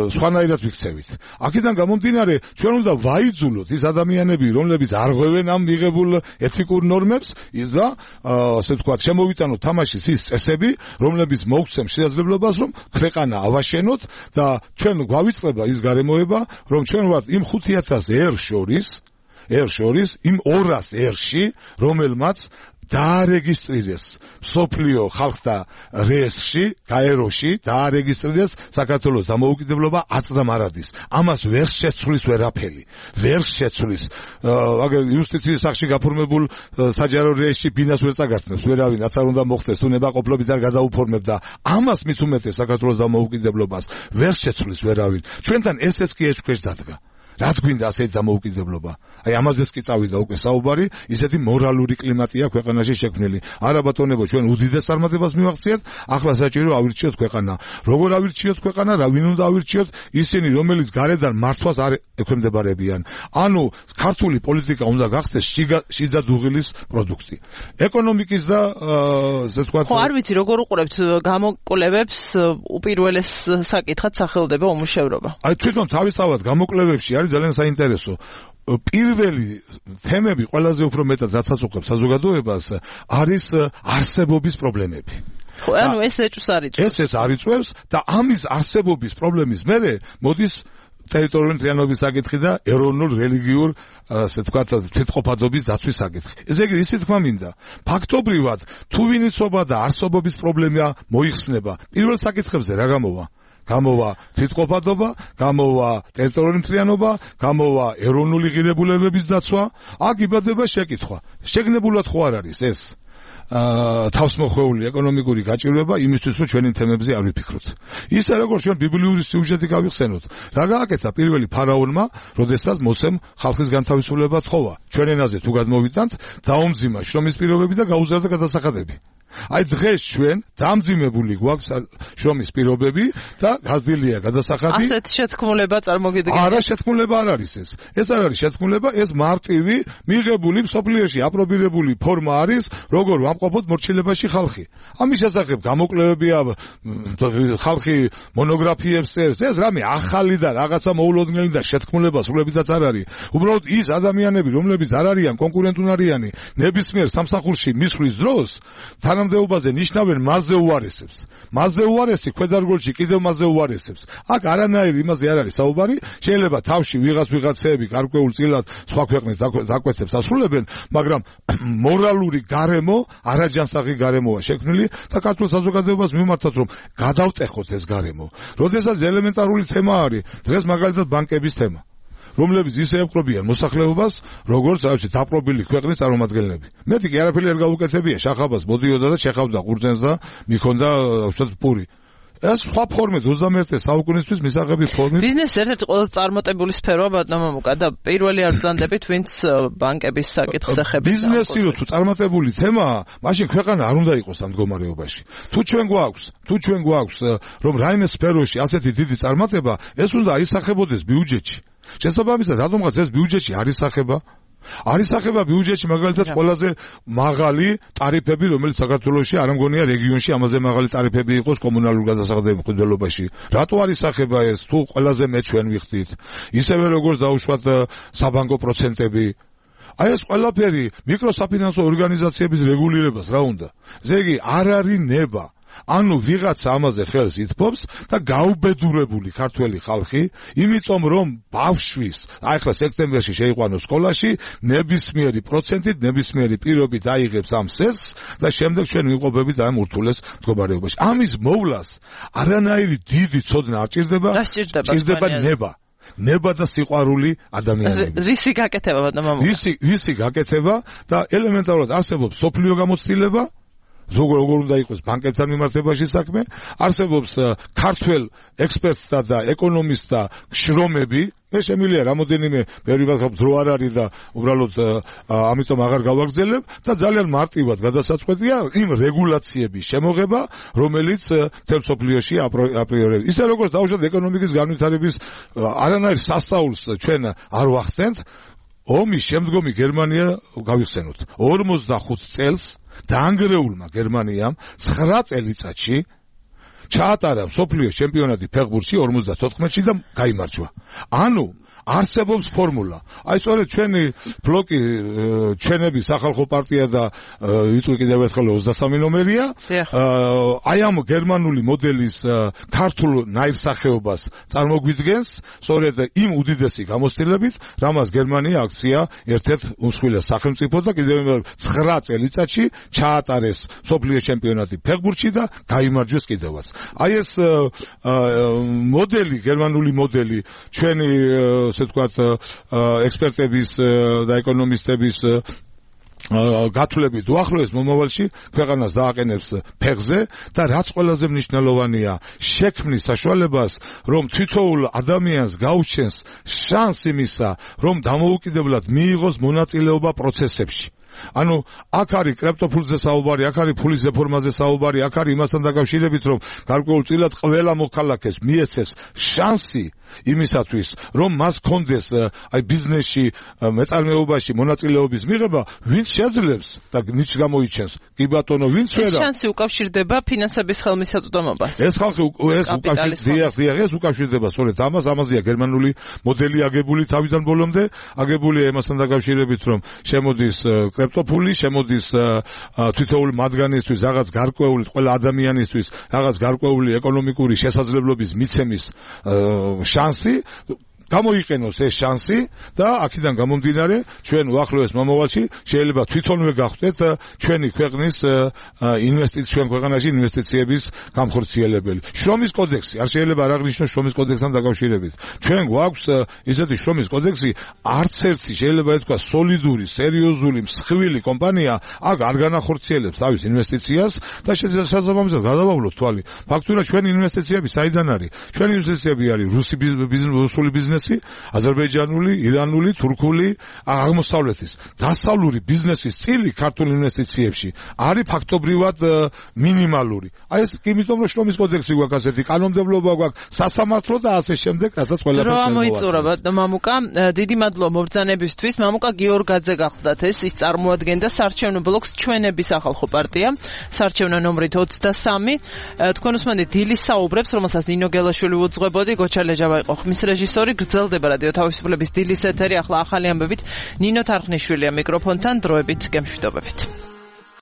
სხვანაირად ვიქცევით. აქედან გამომდინარე, ჩვენ უნდა ვაიძულოთ ის ადამიანები, რომლებიც არ ღვევენ ამ მიღებულ ეთიკურ ნორმებს და ასე ვთქვათ, შემოვიტანოთ თამაშის ის წესები, რომლებიც მოგცემ შესაძლებლობას, რომ ქვეყანა ავაშენოთ და ჩვენ გვავიწყდება ის გარემოება, რომ ჩვენ ვართ იმ 5,000 ერთ შორის იმ 200 ერში, რომელმაც დაარეგისტრირეს სოფლიო ხალხთა რეესტრში, გაეროში დაარეგისტრირეს საქართველოს დამოუკიდებლობა აწდამარადის. ამას ვერ შეცვლის ვერაფერი. ვერ შეცვლის. აგერ იუსტიციის სახში გაფორმებულ საჯარო რეესტრში ბინას ვერ წაგართმევს ვერავინ, რაც არ უნდა მოხდეს, თუ ნებაყოფლობით არ გადაუფორმებდა. ამას მით უმეტეს საქართველოს დამოუკიდებლობას ვერ შეცვლის ვერავინ. ჩვენთან ესეც კი ეჭქვეშ დადგა. რა გვინდა ასეთი დამოუკიდებლობა? აი ამაზეც კი წავიდა უკვე საუბარი, ისეთი მორალური კლიმატია ქვეყანაში შექმნილი. არა ბატონებო, ჩვენ უდიდეს წარმატებას მივაღწიეთ, ახლა საჭირო ავირჩიოთ ქვეყანა. როგორ ავირჩიოთ ქვეყანა, რა ვინ უნდა ავირჩიოთ? ისინი, რომელიც გარედან მართვას არ ექვემდებარებიან. ანუ ქართული პოლიტიკა უნდა გახდეს შიდა დუღილის პროდუქტი. ეკონომიკის და ასე ვთქვათ. ხო, არ ვიცი, როგორ უყურებთ გამოკვლევებს, უპირველეს საკითხად სახელდება უმუშევრობა. აი თვითონ თავისთავად გამოკვლევებში არის ძალიან საინტერესო. პირველი თემები ყველაზე უფრო მეტად ზაცაცუხებს საზოგადოებას არის არსებობის პრობლემები. ხო, ანუ ეს ეჭვს არიწევს. ეს არიწევს და ამის არსებობის პრობლემის მერე მოდის ტერიტორიული მთლიანობის საკითხი და ეროვნულ-რელიგიურ ასე ვთქვათ თვითყოფადობის დაცვის საკითხი. ესე იგი, ისე თქმა მინდა, ფაქტობრივად თუ ვინიცობა და არსობობის პრობლემა მოიხსნება, პირველ საკითხებზე რა გამოვა? გამოვა თვითყოფადობა, გამოვა ტერიტორიული მთლიანობა, გამოვა ეროვნული ღირებულებების დაცვა, აქ იბადება შეკითხვა. შეგნებულად ხო არ არის ეს თავსმოხვეული ეკონომიკური გაჭირვება იმისთვის, რომ ჩვენი თემებზე არ ვიფიქროთ. ისე როგორც ჩვენ ბიბლიური სიუჟეტი გავიხსენოთ, რა გააკეთა პირველი ფარაონმა, როდესაც მოსემ ხალხის განთავისუფლება თხოვა. ჩვენ ენაზე თუ გადმოვიტანთ, დაუმძიმა შრომის პირობები და გაუზარდა გადასახადები. აი დღეს ჩვენ დამძიმებული გვაქვს შრომის პირობები და გაზრდილია გადასახადი. ასეთ შეთქმულება წარმოგიდგენია? არა, შეთქმულება არ არის ეს. ეს არ არის შეთქმულება, ეს მარტივი მიღებული მსოფლიოში აპრობირებული ფორმა არის, როგორ ვამყოფოთ მორჩილებაში ხალხი. ამის შესახებ გამოკვლევებია, ხალხი მონოგრაფიებს წერს, ეს რამე ახალი და რაღაცა მოულოდნელი და შეთქმულება სრულებითაც არ არის. უბრალოდ ის ადამიანები, რომლებიც არ არიან კონკურენტუნარიანი ნებისმიერ სამსახურში მისვლის დროს, თანამდებობაზე ნიშნავენ მასზე უარესებს. მასზე უარესი ქვედარგოლში კიდევ მასზე უარესებს. აქ არანაირი იმაზე არ არის საუბარი, შეიძლება თავში ვიღაცეები გარკვეულ წილად სხვა ქვეყნის დაკვეთებს ასრულებენ, მაგრამ მორალური გარემო, არაჯანსაღი გარემოა შექმნილი და ქართულ საზოგადოებას მიმართოთ, რომ გადავწეხოთ ეს გარემო. როდესაც ელემენტარული თემა არის, დღეს მაგალითად ბანკების თემა, რომლებიც ისე ემყრობიან მოსახლეობას, როგორც აუცილებლად დაპყრობილი ქვეყნის წარმომადგენლები. მეტი კი არაფერი არ გაუკეთებია, შახაბას მოდიოდა და შეხავდა ყურძენს და მიქონდა უშუალოდ პური. ეს სხვა ფორმით 21 საუკუნისთვის მისაღები ფორმით. ბიზნესი ერთ-ერთი ყველაზე წარმატებული სფეროა ბატონო მუკა და პირველი არ ბრძანდებით, ვინც ბანკების საკითხს ეხება. ბიზნესი თუ წარმატებული თემაა, მაშინ ქვეყანა არ უნდა იყოს ამ მდგომარეობაში. თუ ჩვენ გვაქვს რომ რაიმე სფეროში ასეთი დიდი წარმატება, ეს უნდა აისახებოდეს ბიუჯეტში. შესაბამისად, რატომღაც ეს ბიუჯეტში არ ისახება? არ ისახება ბიუჯეტში მაგალითად ყველაზე მაღალი ტარიფები, რომელიც საქართველოში არ მგონია რეგიონში ამაზე მაღალი ტარიფები იყოს კომუნალურ გადასახადების მხედველობაში. რატო არ ისახება ეს? თუ ყველაზე მეტ ჩვენ ვიხდით. ისევე როგორც დაუშვათ საბანკო პროცენტები. აი ეს ყველაფერი მიკროსაფინანსო ორგანიზაციების რეგულირებას რა უნდა? ზეგი არ არის ნება. ანუ ვიღაცა ამაზე ხელს ითფობს და გაუბედურებული ქართველი ხალხი, იმიტომ რომ ბავშვის, ახლა სექტემბერში შეიყვანოს სკოლაში, ნებისმიერი პროცენტით, ნებისმიერი პირობით აიღებს ამ სესს და შემდეგ ჩვენ ვიყოფებით ამ ურთულეს მდგომარეობაში. ამის მოვლას არანაირი დიდი ცოდნა არ ჭირდება, ჭირდება ნება და სიყვარული ადამიანების. ვისი გაკეთება ბატონო? ვისი გაკეთება და ელემენტარულად არსებობს სოფლიო გამოცდილება, როგორ უნდა იყოს ბანკებთან მიმართებაში საქმე, არსებობს ქართველ ექსპერტთა და ეკონომისტთა შრომები, მე შემიძლია რამოდენიმე პერიოდად დრო არ არის და უბრალოდ ამიტომ აღარ გავაგრძელებ და ძალიან მარტივად გადასაწყვეტია იმ რეგულაციების შემოღება, რომელიც მთელ მსოფლიოში აპრიორია. ისე როგორც დაუშვათ ეკონომიკის განვითარების არანაირ სასწაულს ჩვენ არ ვახსენთ, ომის შემდგომი გერმანია გავიხსენოთ. 45 წელს დაანგრეულმა გერმანიამ 9 წელიწადში ჩაატარა მსოფლიო ჩემპიონატი ფეხბურთში 54-ში და გაიმარჯვა. ანუ არსებობს ფორმულა. აი სწორედ ჩვენი ბლოკი, ჩვენები სახალხო პარტია და იწვი კიდევ ერთხელ 23 ნომერია. აი ამ გერმანული მოდელის ქართულ ნაირსახეობას წარმოგვიდგენს, სწორედ იმ უდიდესი გამოცდილებით, რამაც გერმანია აქცია ერთ-ერთ უმსხვილეს სახელმწიფო და კიდევ 9 წელიწადში ჩაატარეს მსოფლიო ჩემპიონატი ფეხბურთში და გაიმარჯვეს კიდევაც. აი ეს მოდელი, გერმანული მოდელი, ჩვენი ასე ვთქვათ, ექსპერტების და ეკონომისტების გათვლებით უახლოეს მომავალში ქვეყანას დააყენებს ფეხზე და რაც ყველაზე მნიშვნელოვანია, შექმნის საშუალებას, რომ თითოეულ ადამიანს გაუჩენს შანსი იმისა, რომ დამოუკიდებლად მიიღოს მონაწილეობა პროცესებში. ანუ აქ არის კრიპტოფულზე საუბარი, აქ არის ფულის რეფორმაზე საუბარი, აქ არის იმასთან დაკავშირებით, რომ გარკვეულ წილად ყველა მოქალაქეს მიეცეს შანსი იმისათვის, რომ მას კონდეს აი ბიზნესში, მეწარმეობაში მონაწილეობის მიღება, ვინც შეძლებს და ვინც გამოიჩენს. კი ბატონო, ვინც ვერა. ეს შანსი უკავშირდება ფინანსების ხელმისაწვდომობას. ეს ხალხი ეს უკავშირდება სწორედ ამას, ამაზეა გერმანული მოდელი აგებული თავიდან ბოლომდე, აგებულია იმასთან დაკავშირებით, რომ შემოდის კრიპტოფული, შემოდის თითოეული მათგანისთვის რაღაც გარკვეული, ყველა ადამიანისთვის რაღაც გარკვეული ეკონომიკური შესაძლებლობის მიცემის შანსი. გამოიყენოს ეს შანსი და აქედან გამომდინარე ჩვენ უახლოეს მომავალში შეიძლება თვითონვე გავხდეთ ჩვენი ქვეყნის ჩვენ ქვეყანაში ინვესტიციების გამხორციელებელი. შრომის კოდექსი არ შეიძლება არ აღნიშნოს შრომის კოდექსთან დაკავშირებით. ჩვენ გვაქვს ისეთი შრომის კოდექსი, არც ერთი შეიძლება ეთქვა სოლიდური, სერიოზული, მსხვილი კომპანია აქ არ განახორციელებს თავის ინვესტიციას და შესაბამისად გადავავლოთ თვალი. ფაქტურად ჩვენი ინვესტიციები საიდან არის? ჩვენი ინვესტიციები არის რუსული ბიზნესი, აზერბაიჯანული, ირანული, თურქული, აღმოსავლეთის. დასავლური ბიზნესის წილი ქართულ ინვესტიციებში არის ფაქტობრივად მინიმალური. აი ეს იმიტომ რომ შრომის კოდექსი გვაქვს ასეთი კანონმდებლობა გვაქვს, სასამართლო და ასე შემდეგ, რასაც ყველაფერს მოიწურება. მამუკა, დიდი მადლობა მობრძანებისთვის. მამუკა გიორგაძე გახლდათ ის წარმოადგენდა საარჩევნო ბლოკს ჩვენების ახალხო პარტია, საარჩევნო ნომრით 23. თქვენ უსმენთ დილის საუბრებს, რომელსაც ნინო გელაშვილი უძღვებოდი, გოჩალეჯავა იყო ხმის რეჟისორი, გრძელდება რადიო თავისუფლების დილის ეთერი, ახლა ახალი ამბებით ნინო თარხნიშვილია მიკროფონთან, დროებით გემშვიდობებით.